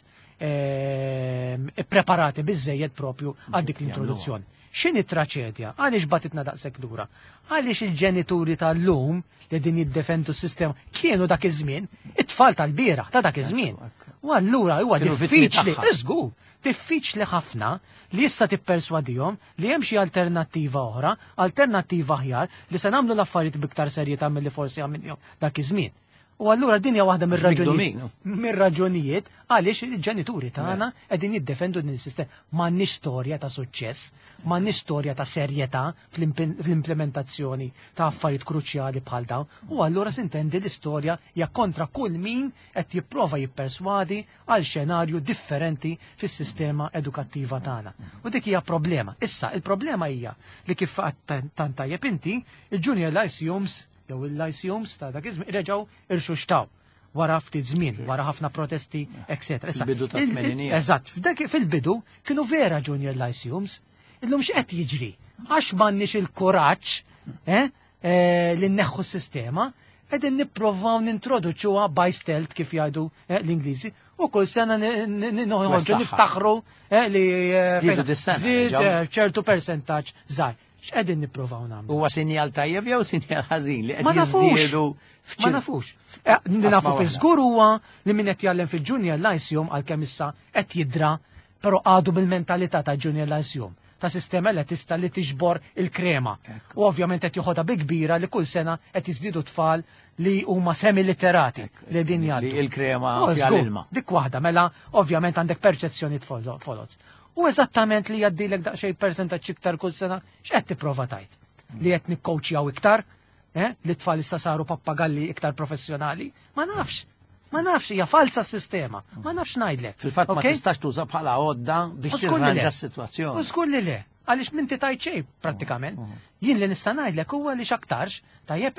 ippreparati biżejjed propju għal dik l-introduzzjoni. X'inhi traċedja? Għaliex batitna daqshekk lura? Għaliex il-ġenituri tal-lum li din jiddefendu s-sistema kienu dak iż-żmien, it-tfal tal-bieraħ ta' dak iż-żmien. U allura huwa diffiċli, iżgur, diffiċli ħafna li issa tipperswadihom li hemm xi alternattiva oħra, alternattiva aħjar li se nagħmlu l-affarijiet biktar serjetà milli forsi għamilhom dak iż-żmien. U allura din hija waħda mir-raġunijiet mir-raġunijiet għaliex il-ġenituri tagħna qegħdin jiddefendu din is-sistema. M'għandniex storja ta' suċċess, m'għandniex storja ta' serjetà fl-implementazzjoni ta' affarijiet kruċjali bħal dawn. U allura sintendi l-istorja hija kontra kull min qed jipprova jipperswadi għal xenarju differenti fis-sistema edukattiva tagħna. U dik hija problema. Issa il-problema hija li kif tant tajjeb inti, il-junior lyceums jew il-lyceums ta' dak iż-żmien reġgħu irxuxtaw wara ftit żmien, wara ħafna protesti, eċetera. Fil-bidu ta' tmeninijiet. Eżatt, f'dak fil-bidu kienu vera junior lyceums. Illum x'qed jiġri? Għax m'għandniex il-kuraġġ eh, li nneħħu s-sistema, qegħdin nipprovaw nintroduċuha by stealth kif jgħidu l-Ingliżi, u kull sena noħorġu niftaħru li żied ċertu percentaġġ żgħir. X'qegħdin nippruvaw nagħmlu? Huwa sinjal tajjeb jew sinjal ħażin li qed jiżdiedu? Ma nafux. Nafu fi żgur huwa li min qed jgħallem fil-Junior Lyceum għalkemm issa qed jidra, però għadu bil-mentalità ta' Junior Lyceum, ta' sistema li tista' li tiġbor il-krema. U ovvjament qed joħodha bi kbira li kull sena qed jiżdiedu tfal li huma semi-literati li din jgħaddu. Li il-krema fiha l-ilma. Dik waħda, mela ovvjament għandek perċezzjoni folots. U eżattament li jgħaddilek daqsxejn percentaġġ iktar kull sena, x'qed tipprova tajt? Li qed nikkoċjaw iktar, eh? Li tfal issa saru pappagalli iktar professjonali? Ma nafx, ma nafx, hija falsa s-sistema, ma nafx ngħidlek. Fil-fatt ma tistax tuża bħala għodda biex tirranġa s-sitwazzjoni. U żgur li le, għaliex m'inti tajt xejn prattikament. Jien li nista' ngħidlek huwa li x'aktarx, tajjeb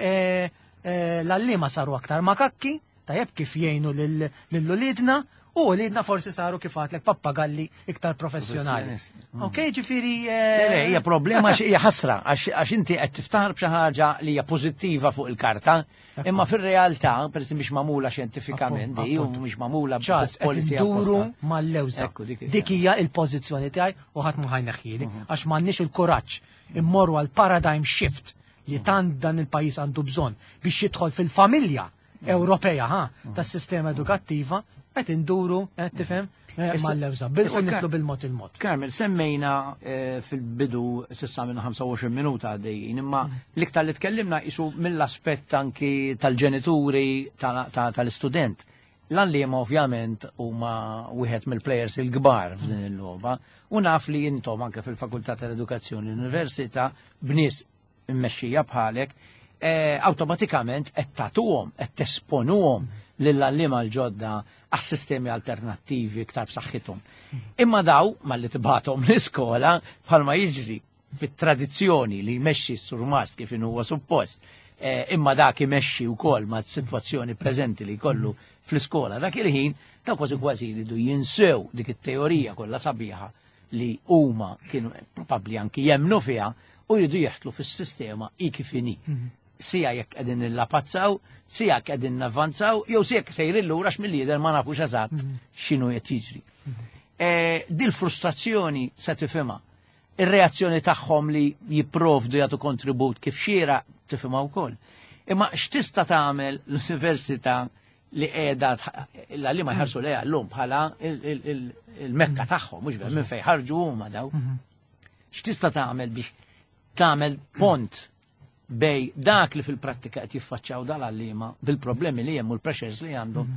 l-għalliema saru aktar makakki, tajjeb kif jgħinu lil uliedna, U li forsi saru kif għedtlek pappagalli iktar professjonali. Mm. Ok, ġifieri. Le, le, hija problema, hija ħasra, għax inti qed tiftaħar b'xi ħaġa li hija pożittiva fuq il-karta, imma fir-realtà, peress mhix magħmula xjentifikament, di u mhix magħmula Charles, qed policy induru apposta. mal-lewża. Ekku, dik Dik hija il-pożizzjoni tiegħi u ħadd ma ħa jneħħieli għax m'għandniex il-kuraġġ immorru għal paradigm shift li tant dan il-pajjiż għandu bżonn biex jidħol fil-familja Ewropea, ha, tas-sistema edukattiva, qed induru, qed tifhem, eh, Issa- mal-lewża. Bil issa u nitlu Kar- bil-mod il-mod. Carmel, semmejna eh, fil-bidu s'issa minn ħamsa u għoxrin minuta għaddejjin, imma l-iktar li tkellimna isu mill-aspett anki tal-ġenituri ta- ta- tal-istudent. L-għalliema ovvjament huma wieħed mill-players il-kbar f'din il-logħba u naf li intom anke fil-Fakultà tal-Edukazzjoni l-Università b'nies immexxija bħalek eh, awtomatikament qed tagħtuhom, qed tesponuhom lill-għalliema l-ġodda għas-sistemi alternattivi iktar b'saħħithom. Imma daw malli tibgħathom l-iskola, bħalma jiġri fit-tradizzjoni li jmexxi s-surmast kif inhu huwa suppost, eh, imma dak imexxi wkoll ma' sitwazzjoni preżenti li jkollu fl-iskola dak il-ħin, ta' kważi kważi jridu jinsew dik it-teorija kollha sabiħa li huma kienu probabbli anki jemnu fiha u jridu jeħtlu fis-sistema i kif inhi. Sija jekk qegħdin nillapazzaw, sija jekk qegħdin navvanzaw, jew sija jekk sejrin lura x'mill-lider ma nafux eżatt x'inhu qed jiġri. Eh, Dil frustrazzjoni se tifhimha. Ir-reazzjoni tagħhom li jipprovdu jagħtu kontribut kif xiera tifhimha wkoll. Imma x'tista' tagħmel l-università li qiegħda li ma jħarsu lejha llum bħala il-mekka tagħhom, mhux vera, minn fejn ħarġu huma daw? X'tista' tagħmel biex tagħmel pont bejn dak li fil-prattika qed jiffaċċjaw dal-għalliema bil-problemi li hemm u l-pressures li għandhom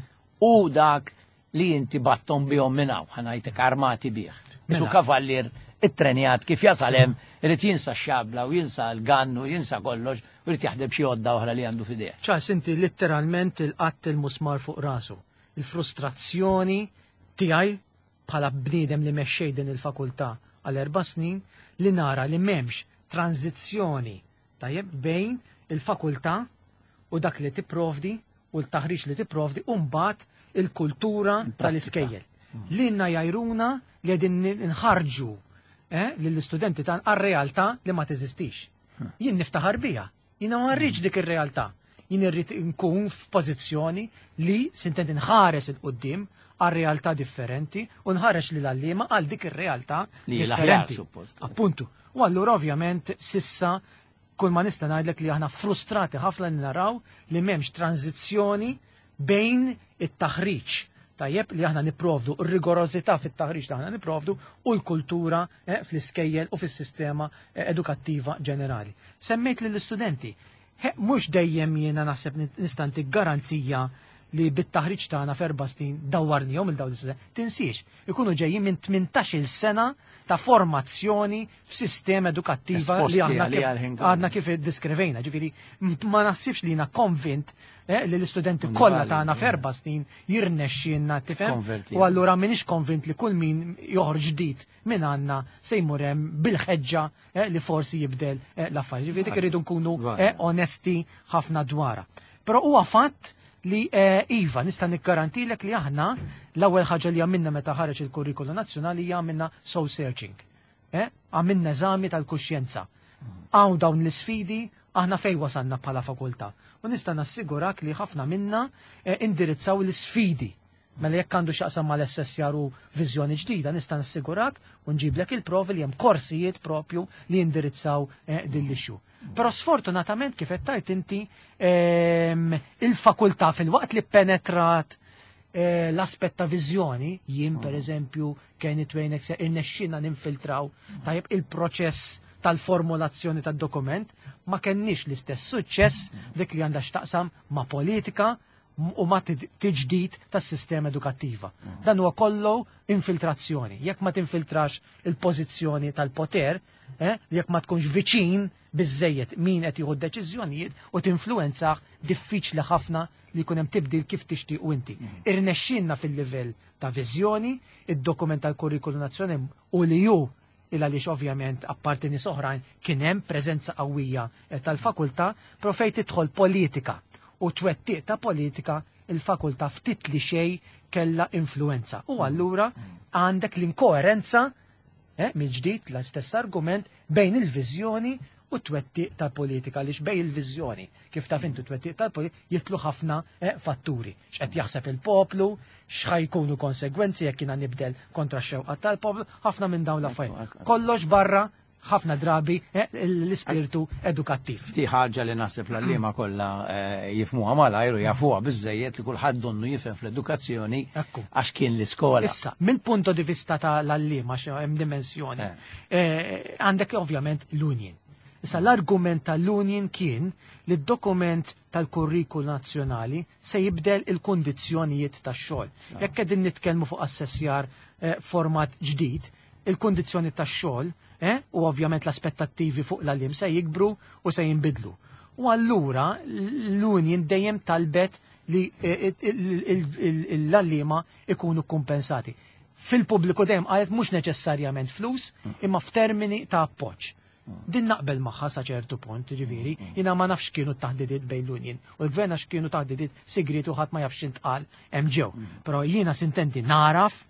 u dak li inti bgħatthom bihom minn hawn, ħa ngħidlek, armati bih? Isu Mela. kavallier it-trenjat kif jasal hemm irid jinsa x-xabla u jinsa l-gannu, jinsa kollox u jrid jaħdem xi għodda oħra li għandu f'idejh. Charles, inti letteralment laqatt il-musmar fuq rasu. Il-frustrazzjoni tiegħi bħala bniedem li mexxej din il-fakultà għal erba' snin li nara li m'hemmx tranzizzjoni, tajjeb, bejn il-fakultà u dak li tipprovdi u l-taħriġ li tipprovdi u mbagħad il-kultura tal-iskejjel. Lilna jgħajruna li qegħdin nħarġu eh, lill-istudenti tan għar-realtà li ma teżistix. Jien niftaħar biha. Jiena ma rridx dik ir-realtà. Jien irrid nkun f'pożizzjoni li sintendi nħares 'il quddiem għal realtà differenti u nħares li l-għalliema għal dik ir-realtà Li l-aħjar, differenti. suppost. Appuntu. U allura ovvjament s'issa kull ma nista' ngħidlek li aħna frustrati ħafna li naraw li m'hemmx tranzizzjoni bejn it-taħriġ, tajjeb, li aħna niprovdu, ir-rigorożità fit-taħriġ li aħna niprovdu u l-kultura eh, fl-iskejjel u fis-sistema eh, edukattiva ġenerali. Semmejt lill-istudenti, mhux dejjem jiena naħseb nista' ntik garanzija li bit-taħriġ tagħna f'erba' snin dawwarnihom il dawn l-istudenti. Tinsiex, ikunu ġejjin minn tmintax-il sena ta' formazzjoni f'sistema edukattiva li Esposti aħna għalija kif l-ħin kollu. għadna kif iddiskrivejna. Ġifieri ma naħsibx li jiena konvint eh, li l-istudenti kollha tagħna f'erba' snin jirnexxielna, tifhem. Konverti. U allura m'iniex konvint li kull min joħroġ ġdid minn għandna se jmur hemm bil-ħeġġa eh, li forsi jibdel eh, l-affarijiet. Ġifieri dik irridu nkunu Vale. eh, onesti ħafna dwarha. Però huwa fatt li eh, iva, nista' nikkarantilek li aħna l-ewwel ħaġa li għamilna meta ħareġ il-kurrikulu nazzjonali hija għamilna soul searching. Eh? Għamilna eżami tal-kuxjenza. Hawn dawn l-isfidi, aħna fej wasanna bħala fakultà? U nista' nassigurak li ħafna minna eh, indirizzaw l-isfidi. Mela jekk għandu x'jaqsam mal-S S R u viżjoni ġdida, nista' nassigurak u nġiblek il-provi li hemm korsijiet propju li jindirizzaw eh, din l-issue. Però sfortunatament, kif qed tgħid inti, ehm, il-fakultà fil-waqt li penetrat eh, l-aspett ta' viżjoni, jien per eżempju, Kenny Twain, irnexxina ninfiltraw tajjeb il-proċess tal-formulazzjoni tad-dokument, ma kenniex l-istess suċċess dik li għandha x'taqsam ma' politika u ma' tiġdid tas-sistema edukattiva. Dan huwa kollu infiltrazzjoni. Jekk ma tinfiltrax il-pożizzjoni tal-poter, eh, jekk ma tkunx viċin biżejjed min qed jieħu deċiżjonijiet u tinfluwenzah, diffiċli ħafna li jkun hemm tibdil kif tixtieq inti. Irnexxinna fil-livell ta' viżjoni, id-dokument tal-kurrikulu nazzjonali u li ju il għaliex ovvjament apparti nies oħrajn kien hemm preżenza qawwija eh, tal-fakultà, però fejn tidħol politika u twettiq ta' politika, il-fakultà ftit li xejn kella influenza. U allura għandek l-inkoerenza, eh, mill-ġdid l-istess argument bejn il-viżjoni u t-twettiq tal-politika, għaliex bejn il-viżjoni, kif taf intu, twettiq tal-politika jitlu ħafna eh, fatturi. X'qed jaħseb il-poplu, x'ħa jkunu konsegwenzi jekk jiena nibdel kontra x-xewqa tal-poplu, ħafna minn dawn l-affarijiet. Kollox barra ħafna drabi eh, l-ispirtu edukattiv. Di ħaġa li naħseb l-għalliema kollha eh, jifhmuha malajr u jafuha biżejjed li kulħadd donnu jifhem fl-edukazzjoni Ekku. għax kien l-iskola. Issa, mill-punto di vista tal-għalliema, hemm dimensjoni, eh, għandek ovvjament l-union. Issa l-argument tal-union kien li d-dokument tal-kurrikulu nazzjonali se jibdel il-kondizzjonijiet tax-xogħol. Jekk qegħdin nitkellmu fuq assessjar eh, format ġdid, il-kondizzjoni tax-xogħol eh, u ovvjament l-aspettattivi fuq l-għalliem se jikbru u se jinbidlu. U allura l-union dejjem talbet li eh, l-għalliema ikunu kompensati. Fil-pubbliku dejjem qalet mhux neċessarjament flus, imma f'termini ta' appoġġ. Din naqbel magħha sa ċertu punt, ġifieri, jiena ma nafx kienu taħdidiet bejn l-union u l-gvern għax kienu taħdidiet sigriet u ħadd ma jafx intqal hemm ġew. Però jiena sintendi naraf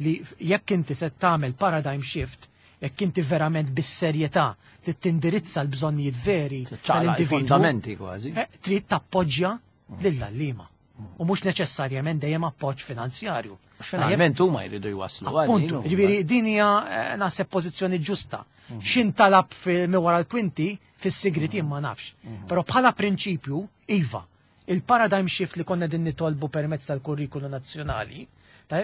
li jekk inti se tagħmel paradigm shift, jekk inti verament bis-serjetà trid tindirizza l-bżonnijiet veri tal-individwu. Fundamenti kważi. Eh, trid tappoġġja lill-għalliema. U mhux neċessarjament dejjem appoġġ finanzjarju. Finalment huma jridu jwaslu. Appuntu, ġifieri din hija eh, naħseb pożizzjoni ġusta. X'intalab wara l-kwinti fis-sigrit jien ma nafx. Però bħala prinċipju, iva, il-paradigm shift li konna din nitolbu permezz tal-kurrikulu nazzjonali,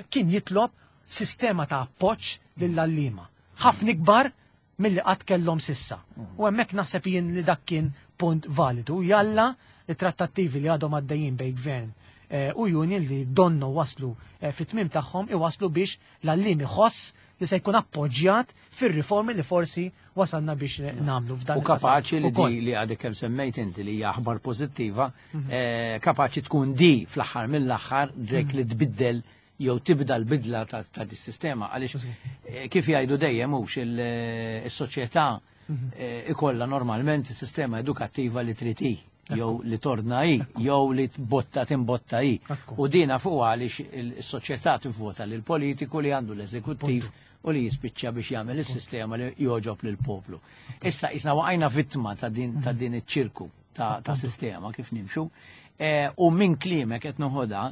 kien jitlob sistema ta' appoġġ lill-għalliema. Ħafna ikbar milli qatt kellhom sissa. U hemmhekk naħseb jien li dak kien punt validu. Jalla it-trattattivi li għadhom għaddejjin bejn gvern eh, u union li donnu waslu eh, fit-tmim tagħhom iwaslu biex l-għalliem iħoss li se jkun appoġġjat fir-riformi li forsi wasalna biex nagħmlu f'dan. U kapaċi li di li għadek kemm semmejt inti li hija aħbar pożittiva, mhm. eh, kapaċi tkun di fl-aħħar mill-aħħar dik li tbiddel jew tibda l-bidla ta' dis-sistema, għaliex eh, kif jgħidu dejjem hux il-soċjetà mhm. eh, ikollha normalment is-sistema edukattiva li trid hi jew li tordna hi, jew li tbotta timbotta hi. U dina fuq għaliex il-soċjetà tivvota lil politiku li għandu l-eżekuttiv u li jispiċċa biex jagħmel is-sistema li joġob lil poplu. Issa isna waqajna vittma ta' din ta' din iċ-ċirku ta', ta sistema kif nimxu. E, u minn kliemek qed noħodha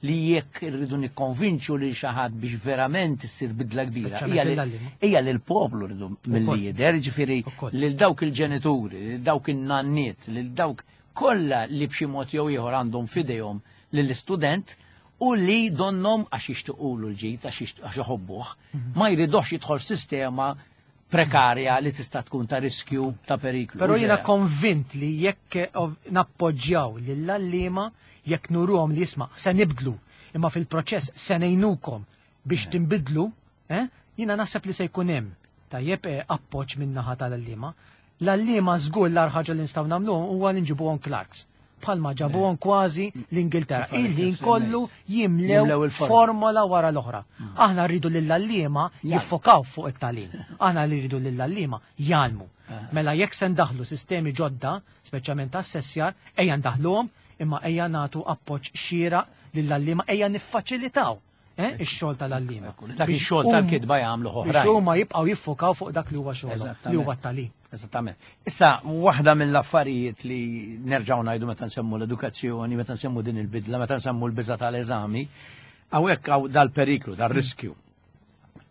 li jekk irridu nikkonvinċu lil xi ħadd biex verament issir bidla kbira, Speċjalment hija li- lill-għalliema. hija li l-poplu rridu mill-lider, ġifieri Ukoll. lil dawk il-ġenituri, lil dawk in-nanniet, lil dawk kollha li b'xi mod jew ieħor għandhom f'idejhom lill-istudent u li donnom għax jixtiqulu l-ġid, għax jixtieq- għax iħobbuh, ma jridux jidħol f'sistema prekarja li tista' tkun ta' riskju ta' periklu. Però jiena Vera. konvint li jekk ov- nappoġġjaw lill-għalliema, jekk nuruhom li jisma' se nibdlu, imma fil-proċess se ngħinukom biex tinbidlu, eh, jiena naħseb li se jkun hemm tajjeb eh, appoġġ min naħa tal-għalliema. L-għalliema żgur l ħaġa li nistgħu nagħmluhom huwa li nġibuhom clerks. Bħalma ġabuhom kważi l-Ingilterra. Kif għalek Il-ħin kif kollu semmejt. jimlew Jimlew il-formola. formola wara l-oħra. Aħna rridu lill-għalliema jiffokaw fuq it-tagħlim. Aħna li rridu lill-għalliema jgħallmu. Mela jekk se ndaħlu sistemi ġodda, speċjalment assessjar, ejja ndaħluhom, imma ejja nagħtu appoġġ xieraq lill-għalliema, ejja niffaċilitaw eh, ix-xogħol tal-għalliema. Ekku, dak Biex ix-xogħol hum- tal-kitba jagħmlu Biex oħrajn. huma jibqgħu jiffokaw fuq dak li huwa xogħolhom, li huwa t-tagħlim. Eżattament. Issa, waħda mill-affarijiet li nerġgħu ngħidu meta nsemmu l-edukazzjoni, meta nsemmu din il-bidla, meta nsemmu l-biża tal-eżami, hawnhekk hawn dal-periklu, dal-riskju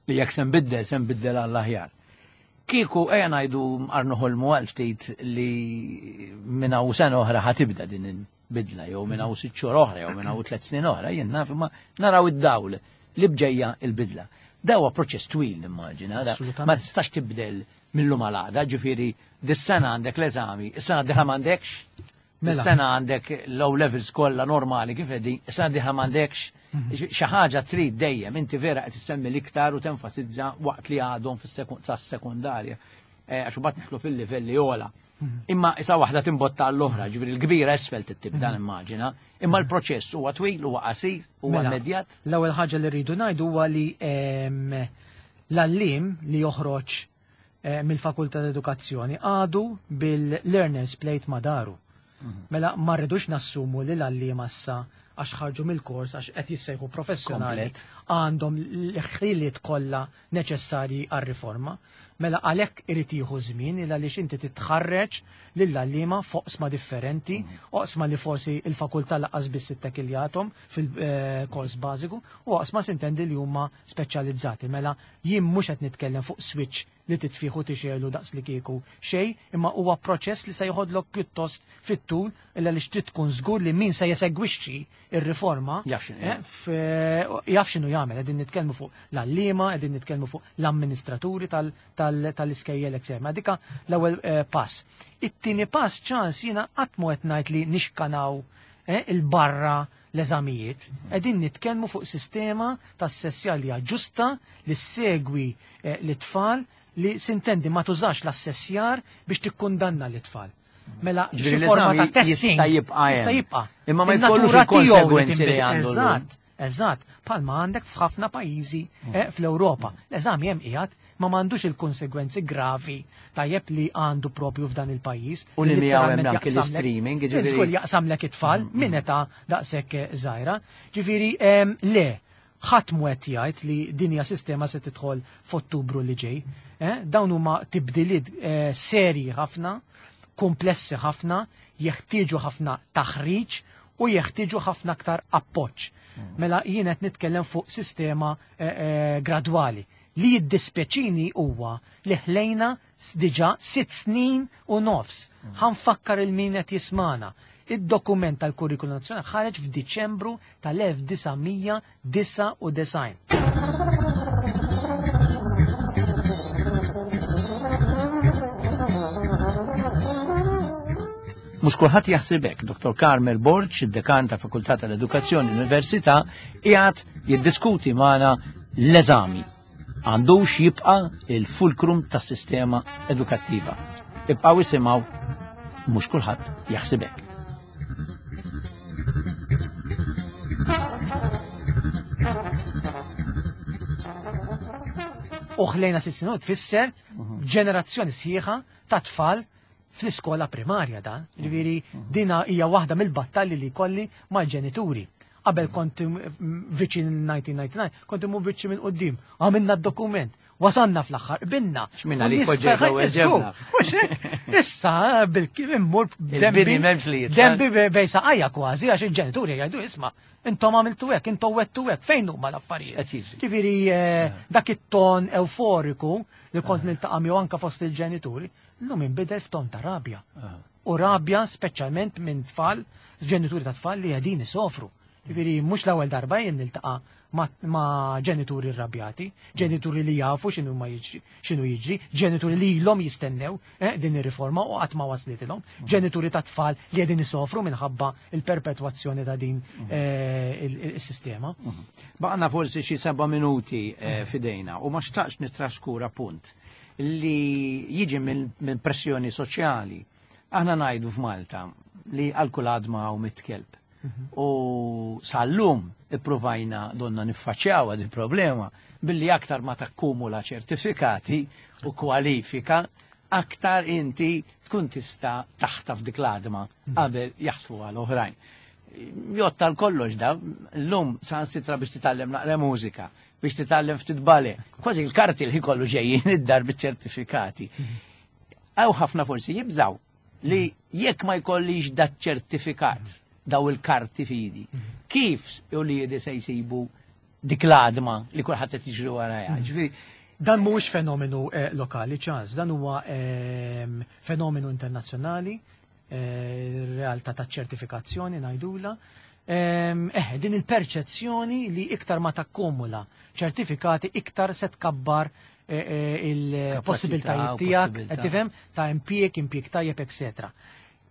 li jekk se nbiddel, se nbiddel għall-aħjar. Kieku ejja ngħidu arnuħolmu għal ftit li minn hawn sena oħra ħa tibda din il-bidla, jew minn hawn sitt xhur oħra, jew minn hawn tliet snin oħra, jien naf imma naraw id-dawl li bġejja il-bidla. Da huwa proċess twil nimmaġina, da Assolutament. ma tistax tibdel mill-lum għal għada, ġifieri dis-sena għandek l-eżami, is-sena d-dieħla m'għandekx, Mela. is-sena għandek low levels kollha normali kif qegħdin, is-sena d-dieħla m'għandekx, xi ħaġa trid dejjem, inti vera qed issemmi l-iktar u tenfasizza waqt li għadhom fis-sekondarja. Għax imbagħad nidħlu fil-livelli ogħla. Imma issa waħda timbotta għall-oħra, ġifieri l-kbira isfel tibda nimmaġina, imma l-proċess huwa twil, huwa qasir, huwa Mela, immedjat. L-ewwel ħaġa li rridu ngħidu huwa li em, l-għalliem li joħroġ eh, mill-Fakultà ta' Edukazzjoni għadu bil-learner's plate ma' dahru. Mela ma rridux nassumu li l-għalliem issa għax ħarġu mill-kors għax qed jissejħu professjonali għandhom l-ħiliet kollha neċessarji għar-riforma. Mela għalhekk irid jieħu żmien il għaliex inti titħarreġ lill-għalliema f'oqsma differenti, oqsma li forsi il-fakultà lanqas biss ittekiljathom fil-kors bażiku u oqsma sintendi li huma speċjalizzati. Mela jien mhux qed nitkellem fuq switch li titfiħu tixelu daqs li kieku xejn, imma huwa proċess li se jħodlok pjuttost fit-tul illa li trid tkun żgur li min se jesegwixxi ir-riforma Jaf x'inhu eh, f- jaf x'inhu jagħmel. Qegħdin nitkellmu fuq l-għalliema, qegħdin nitkellmu fuq l-amministraturi tal- tal- tal-iskejjel eċetera. Ma dika l-ewwel eh, pass. It-tieni pass ċans jiena qatt mu qed ngħid li nixkanaw eh, il-barra l-eżamijiet. Qegħdin nitkellmu fuq sistema ta' assessjar li hija ġusta li ssegwi eh, l-tfal li sintendi ma tużax l-assessjar biex tikkundanna l-tfal. Mela, Ġifieri xi forma l-eżami ta' testing jista' jibqa' hemm. Jista' jibqa'. Imma ma In-natura jkollux tiegħu li il-konsegwenzi li tinbidel. għandu llum. Eżatt, eżatt. Palma għandek f'ħafna pajjiżi eh, fl-Ewropa. L-eżami hemm qiegħed ma m'għandux il-konsegwenzi gravi tajjeb li għandu propju f'dan il-pajjiż. U li miegħu hemm literalment anke jaqsamlek- l-streaming, jiġifieri- Żgur jaqsamlek it-tfal minn età daqshekk eh, żgħira. Ġifieri em, le, ħadd mhu qed jgħid li din hija sistema se tidħol f'Ottubru li ġej. Eh, Dawn huma tibdiliet eh, serji ħafna, komplessi ħafna, jeħtieġu ħafna taħriġ u jeħtieġu ħafna aktar appoġġ. Mela jien qed nitkellem fuq sistema eh, eh, gradwali. Li jiddispjaċini huwa li ħlejna diġà sitt snin u nofs. Ħa nfakkar lil min qed jismana. Id-dokument tal-Kurrikulum Nazzjonali ħareġ f'Diċembru tal-elf disa' mija disa' u disgħin. Mhux kulħadd jaħseb hekk. Doktor Carmel Borg, id-dekan ta' Fakultà tal-Edukazzjoni l-Università, qiegħed jiddiskuti magħna l-eżami. Għandux jibqa' il-fulkrum tas-sistema edukattiva. Ibqgħu isimgħu, mhux kulħadd jaħseb hekk. U ħlejna sitt snin tfisser ġenerazzjoni sħiħa ta' tfal fl-iskola primarja dan. Ġifieri dina hija waħda mill-battalji li jkolli mal-ġenituri. Qabel kont viċin nineteen ninety-nine, kont imur viċin minn quddiem, għamilna d-dokument, wasanna fl-aħħar, qbilna. X'minna li U nies poġġejna ferħan u jiżgur. ġebna. Mhux hekk? Issa bil-kim immur Il-bini dembi m'hemmx li jitla'. dembi be-, bej saqajja kważi, għax il-ġenituri jgħidu isma', intom għamiltu hekk, intom wettu hekk, fejn huma l-affarijiet? X'qed jiġri? Ġifieri, eh, dak it-ton euforiku li kont niltaqa' miegħu anke fost il-ġenituri, llum inbidel f'ton ta' rabja. Ah. U rabja speċjalment minn tfal, ġenituri ta' tfal li qegħdin isofru. Ġifieri mhux l-ewwel darba jien niltaqa' ma', ma' ġenituri rrabjati, ġenituri li jafu x'inhu ma jiġri, x'inhu jiġri, ġenituri li ilhom jistennew, eh, din ir-riforma u qatt ma waslitilhom, ġenituri ta' tfal li qegħdin isofru minħabba il-perpetwazzjoni ta' din, eh, il-, il-, is-sistema. Baqna forsi xi seba' minuti, eh, fidejna u ma xtaqx nitraskura punt li jiġi minn, minn pressjoni soċjali. Aħna ngħidu f'Malta li għal kull għadma hawn mitt kelb. U sal-lum ippruvajna donna niffaċċjaw din il-problema billi aktar ma takkumula ċertifikati u kwalifika, aktar inti tkun tista' taħtaf dik l-għadma qabel jaħtfu għal oħrajn. Jotta l-kollox da, l-lum sansitra biex titgħallem naqra mużika, biex titgħallem ftit bale, kważi l-karti li kollu ġejjin id-dar biċ-ċertifikati. Hawn ħafna forsi jibżaw li jekk ma jkollix dat ċertifikat daw il-karti fidi, kif u li jedi se jsibu dik l-għadma li kulħadd qed jiġri warajha. Ġifieri, dan mhuwiex fenomenu, eh, lokali, ċans, dan huwa, ehm, fenomenu internazzjonali, eh, realtà ta' ċertifikazzjoni ngħidula. Ehm, eh, din il-perċezzjoni li iktar ma takkumula ċertifikati iktar se tkabbar, eh, eh, il-possibiltajiet Kapaċità u tiegħek, possibilità. qed tifhem, ta' impjieg, impjieg tajjeb, eccetera.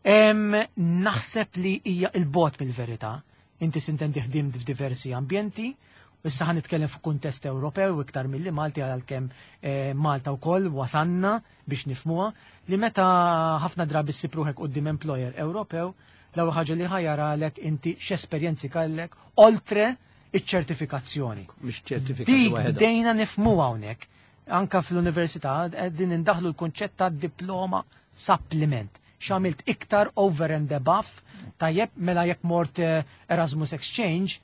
Ehm, naħseb li hija il-bot mill-verità. Inti sintendi ħdimt f'diversi ambjenti, issa ħan nitkellem fuq kuntest Ewropew iktar milli Malti, għalkemm, eh, Malta wkoll wasanna biex nifhmuha li meta ħafna drabi ssib ruħek quddiem employer Ewropew, l-ewwel ħaġa li ħajaralek inti x'esperjenzi kellek oltre iċ-ċertifikazzjoni. Mhix ċertifikati Dik waħedhom. bdejna nifhmu hawnhekk. Anka fl-università qegħdin indaħlu l-kunċett ta' diploma supplement. X'għamilt iktar over and above, tajjeb, mela jekk mort eh, Erasmus Exchange,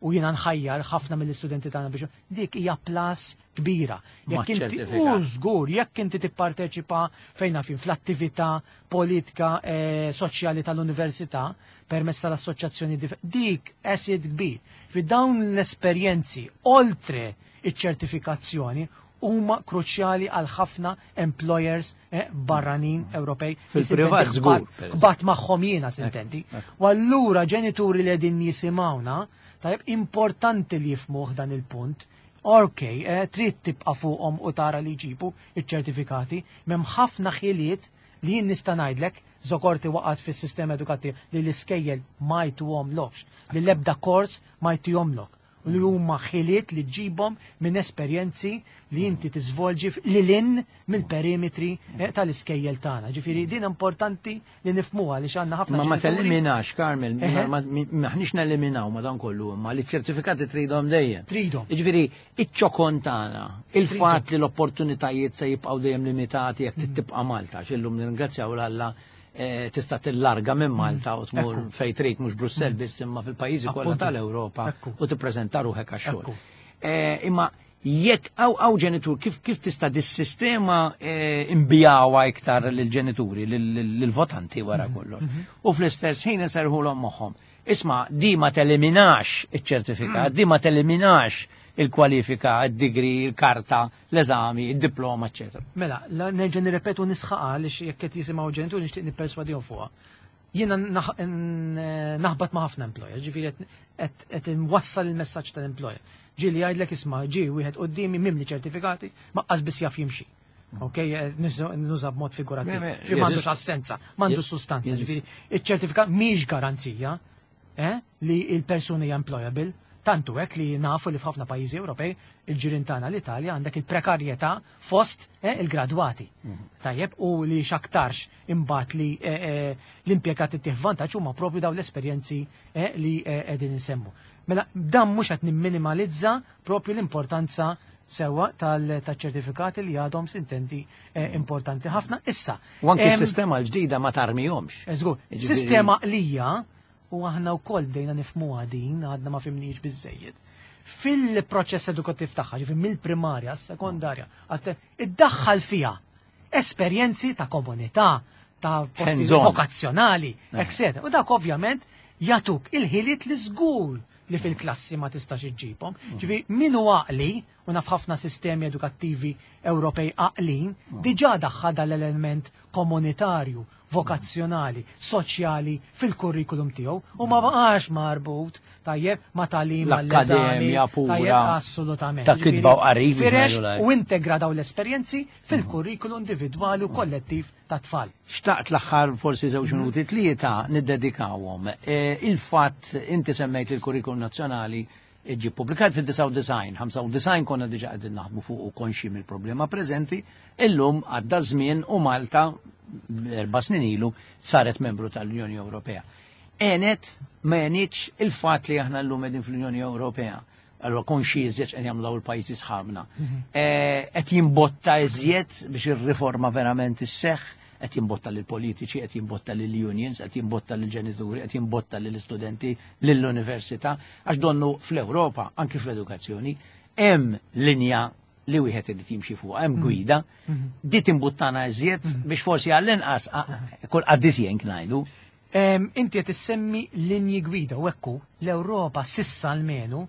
u jiena nħajjar ħafna mill-istudenti tagħna biex dik hija plus kbira. Jekk inti u żgur, jekk inti tipparteċipa fejn naf fl-attività politika eh, soċjali tal-università permezz tal-assoċjazzjoni dik asset kbir. Fi dawn l-esperjenzi oltre iċ-ċertifikazzjoni huma kruċjali għal ħafna employers eh, barranin Ewropej. Fil-privat żgur. Bat magħhom jiena s'intendi. U allura ġenituri li qegħdin jisimgħuna, tajjeb, importanti li jifhmuh dan il-punt. Ok, eh, trid tibqa' fuqhom u tara li jġibu iċ-ċertifikati, m'hemm ħafna ħiliet li jien nista' ngħidlek żokorti waqgħet fis-sistema edukattiv li l-iskejjel ma jtuhomlokx, li l-ebda kors ma jtuhomlok u li huma ħiliet li ġibhom minn esperjenzi li inti tiżvolġi lil hinn mill-perimetri eh, tal-iskejjel tagħna. Ġifieri din importanti li nifhmuha li għandna ħafna Ma ma teliminax, Carmel, maħniex neliminaw ma dan kollu, ma li ċertifikati tridhom dejjem. Tridhom. Ġifieri iċ-ċokon tagħna, il-fatt li l-opportunitajiet se jibqgħu dejjem limitati jekk tibqa' Malta, x'illum nirringrazzjaw 'l Alla eh, tista' tillarga minn Malta u tmur fejn trid mhux Brussell biss imma fil-pajjiżi kollha tal-Ewropa u tippreżenta ruħek għax-xogħol. Eh, imma jekk għaw għaw ġenitur, kif kif tista' dis-sistema eh, imbijawha iktar lill-ġenituri, lill-votanti wara kollox. U fl-istess ħin iserħulhom moħħhom. Isma' di ma teliminax iċ-ċertifikat, di ma teliminax il-kwalifika, il-degree, il-karta, l-eżami, il-diploma, eccetera. Mela, nerġa' nirrepetu nisħaqa għaliex jekk qed jisimgħu ġenituri nixtieq nipperswadihom fuqha. Jiena naħbat ma' ħafna employer, ġifieri qed nwassal il-messaġġ tal-employer. Ġieli jgħidlek isma' ġi wieħed quddiemi mimli ċertifikati ma qas biss jaf jimxi. Ok, nuża b'mod figurattiv. M'għandux assenza, m'għandux sustanza. Ġifieri iċ-ċertifikat mhix garanzija eh, li il-persuni hija employable. Tantu hekk li nafu li f'ħafna pajjiżi Ewropej il-ġirien tagħna l-Italja għandek il-prekarjetà fost eh, il-gradwati. Mhm. Tajjeb u li x'aktarx imbagħad li eh, eh, l-impjegati tieħ vantaġġ huma propju dawn l-esperjenzi li qegħdin insemmu. Mela dan mhux qed nimminimalizza propju l-importanza sewa tal-ċertifikati li għadhom s'intendi importanti ħafna. Issa. U anke s-sistema l-ġdida ma tarmihomx. Żgur, sistema lija u aħna wkoll bdejna nifhmuha din, għadna ma fhimniex biżejjed. Fil-proċess edukattiv tagħha, ġifieri mill-primarja, s-sekondarja, iddaħħal fiha esperjenzi ta' komunità, ta' posti vokazzjonali, etc. U dak ovvjament jatuk il-ħiliet li żgur li fil-klassi ma tistax iġġibhom. Ġifieri min hu għaqli u naf ħafna sistemi edukattivi Ewropej għaqlin, diġà daħħal dal-element komunitarju, vokazzjonali, soċjali fil-kurrikulum tiegħu u ma baqax marbut tajjeb ma tagħlim l-akkademja pura. Assolutament. Ta' kitba u qari. Firex u integra daw l-esperjenzi fil-kurrikulum individwali u kollettiv ta' tfal. Xtaqt l-aħħar forsi żewġ minuti tlieta niddedikawhom. E, il-fatt inti semmejt il-kurrikulum nazzjonali ġi publikat fid-disgħa u disgħin, ħamsa u disgħin konna diġa qegħdin naħdmu fuq u konxi mill-problema preżenti, illum għadda żmien u Malta erba' snin ilu saret membru tal-Unjoni Ewropea. Enet ma għenitx il-fatt li aħna llum qegħdin fl-Unjoni Ewropea. Allora konxi iżjed qed jagħmlu l-pajjiżi sħabna. Eh, qed jimbotta iżjed biex ir-riforma verament isseħħ, qed jimbotta lil politiċi, qed jimbotta lil unions, qed jimbotta lil ġenituri, qed jimbotta lil istudenti, lill-università, għax donnu fl-Ewropa, anki fl-edukazzjoni, hemm linja li wieħed irid jimxi fuq, hemm gwida, di timbuttana iżjed biex forsi għall-inqas kull qaddis jenk ngħidu. Inti qed issemmi linji gwida u ekku l-Ewropa s'issa almenu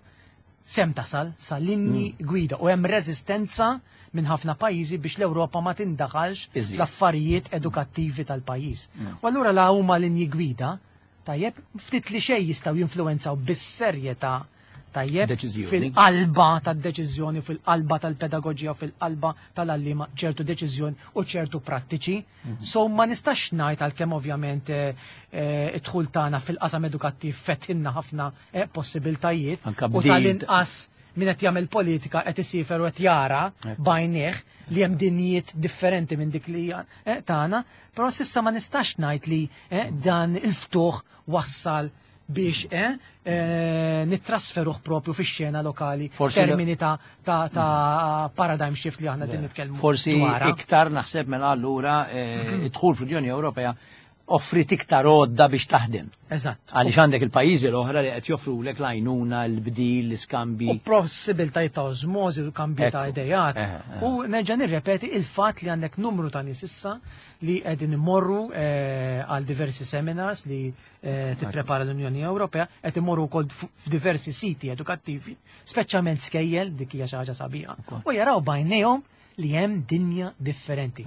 sem tasal sa linji mm. gwida u hemm reżistenza minn ħafna pajjiżi biex l-Ewropa ma tindaħalx l-affarijiet edukattivi tal-pajjiż. Mm. U allura la huma linji gwida, tajjeb, ftit li xejn jistgħu jinfluwenzaw bis-serjetà tajjeb fil-qalba tad-deċiżjoni, fil-qalba tal-pedagogija, fil-qalba tal-għalliema ċertu deċiżjoni u ċertu prattiċi. Mhm. So ma nistax ngħid għalkemm ovvjament eh, eh, id-dħul tagħna fil-qasam edukattiv fetħinna ħafna eh, possibiltajiet u tal-inqas min qed jagħmel politika qed isifer u qed jara bajnieh li hemm dinjiet differenti minn dik li tagħna, però s'issa ma nistax ngħid li dan il-ftuħ wassal biex eh, eh, nittrasferuh propju fix-xena lokali termini ta', ta, ta paradigm shift li aħna din nitkellmu. Forsi iktar naħseb mela allura eh, id-dħul fl-Unjoni Ewropea offrit iktar għodda biex taħdem. Eżatt. Għaliex għandek il-pajjiżi l-oħra li qed joffrulek l-għajnuna, l-bdil, l-iskambi. U possibiltajiet ta' osmosi, u kambji ta' Ekku. idejat. Eh, eh. U nerġa' nirrepeti il-fatt li għandek numru ta' nies issa li qegħdin imorru eh, għal diversi seminars li eh, tipprepara l-Unjoni Ewropea, qed imorru wkoll f- f'diversi siti edukattivi, speċjalment skejjel, dik hija xi ħaġa sabiħa. U jaraw b'għajnejhom li hemm dinja differenti.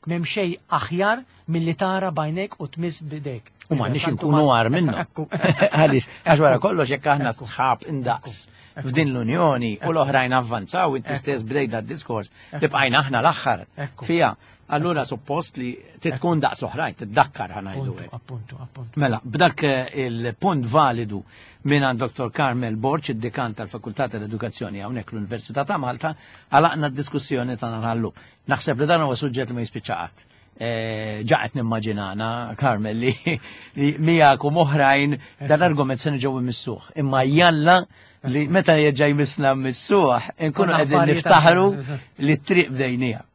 M'hemm xejn aħjar milli tara b'għajnejk u tmiss b'idejk. U m'għandniex San inkunu Tumas- għar minnu. Ekku. Għaliex, għax wara kollox jekk aħna sħab indaqs f'din l-Unjoni u l-oħrajn avvanzaw, inti stess bdejt diskors li bqajna aħna l-aħħar Ekku. fija. Allura suppost li titkun daqs l-oħrajn, tiddakkar ħa ngħidu Appuntu, hekk. appuntu, appuntu. Mela, b'dak eh, il-punt validu minn għand Dottor Carmel Borg, id-dekan tal-Fakultà tal-Edukazzjoni hawnhekk l-Università ta' Malta, għalaqna d-diskussjoni ta' nagħllu. Naħseb li dan huwa suġġett li ma jispiċċa qatt. Eh, Ġa qed nimmaġinana, Carmel, li, li miegħek u oħrajn dan l-argument se niġew immissuh. Imma jalla li meta jerġa' jmissna mmissuh, inkunu Konna qegħdin affarijiet niftaħru aħjar, li t-triq bdejnija.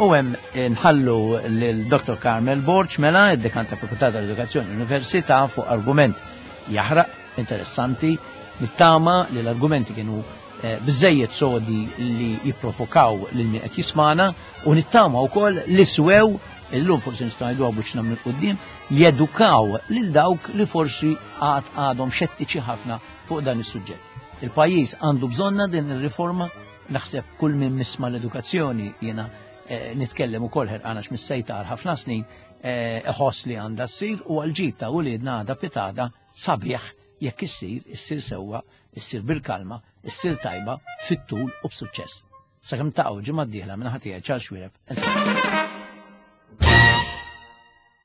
U hemm nħallu lil Dottor Carmel Borg mela, id-dekan ta' Fakultà tal-Edukazzjoni Università, fuq argument jaħraq, interessanti, nittama li l-argumenti kienu eh, biżejjed sodi li jipprovokaw lil min qed jismana u nittama wkoll li swew illum forsi nistgħu ngħidu buċna minn quddiem jedukaw lil dawk li forsi għad għadhom xettiċi ħafna fuq dan is-suġġett. Il-pajjiż għandu bżonna din ir-riforma, naħseb kull min misma l-edukazzjoni jiena eh, nitkellem ukoll ħerqana x'missejta għal ħafna snin, eh, iħoss li għandha ssir u għal-ġid ta' uliedna għada pitada sabiħ jekk issir, issir sewwa, issir bil-kalma, issir tajba, fit-tul u b'suċċess. Sakemm taqgħu ġimgħa d-dieħla minn ħadd Charles Xuereb.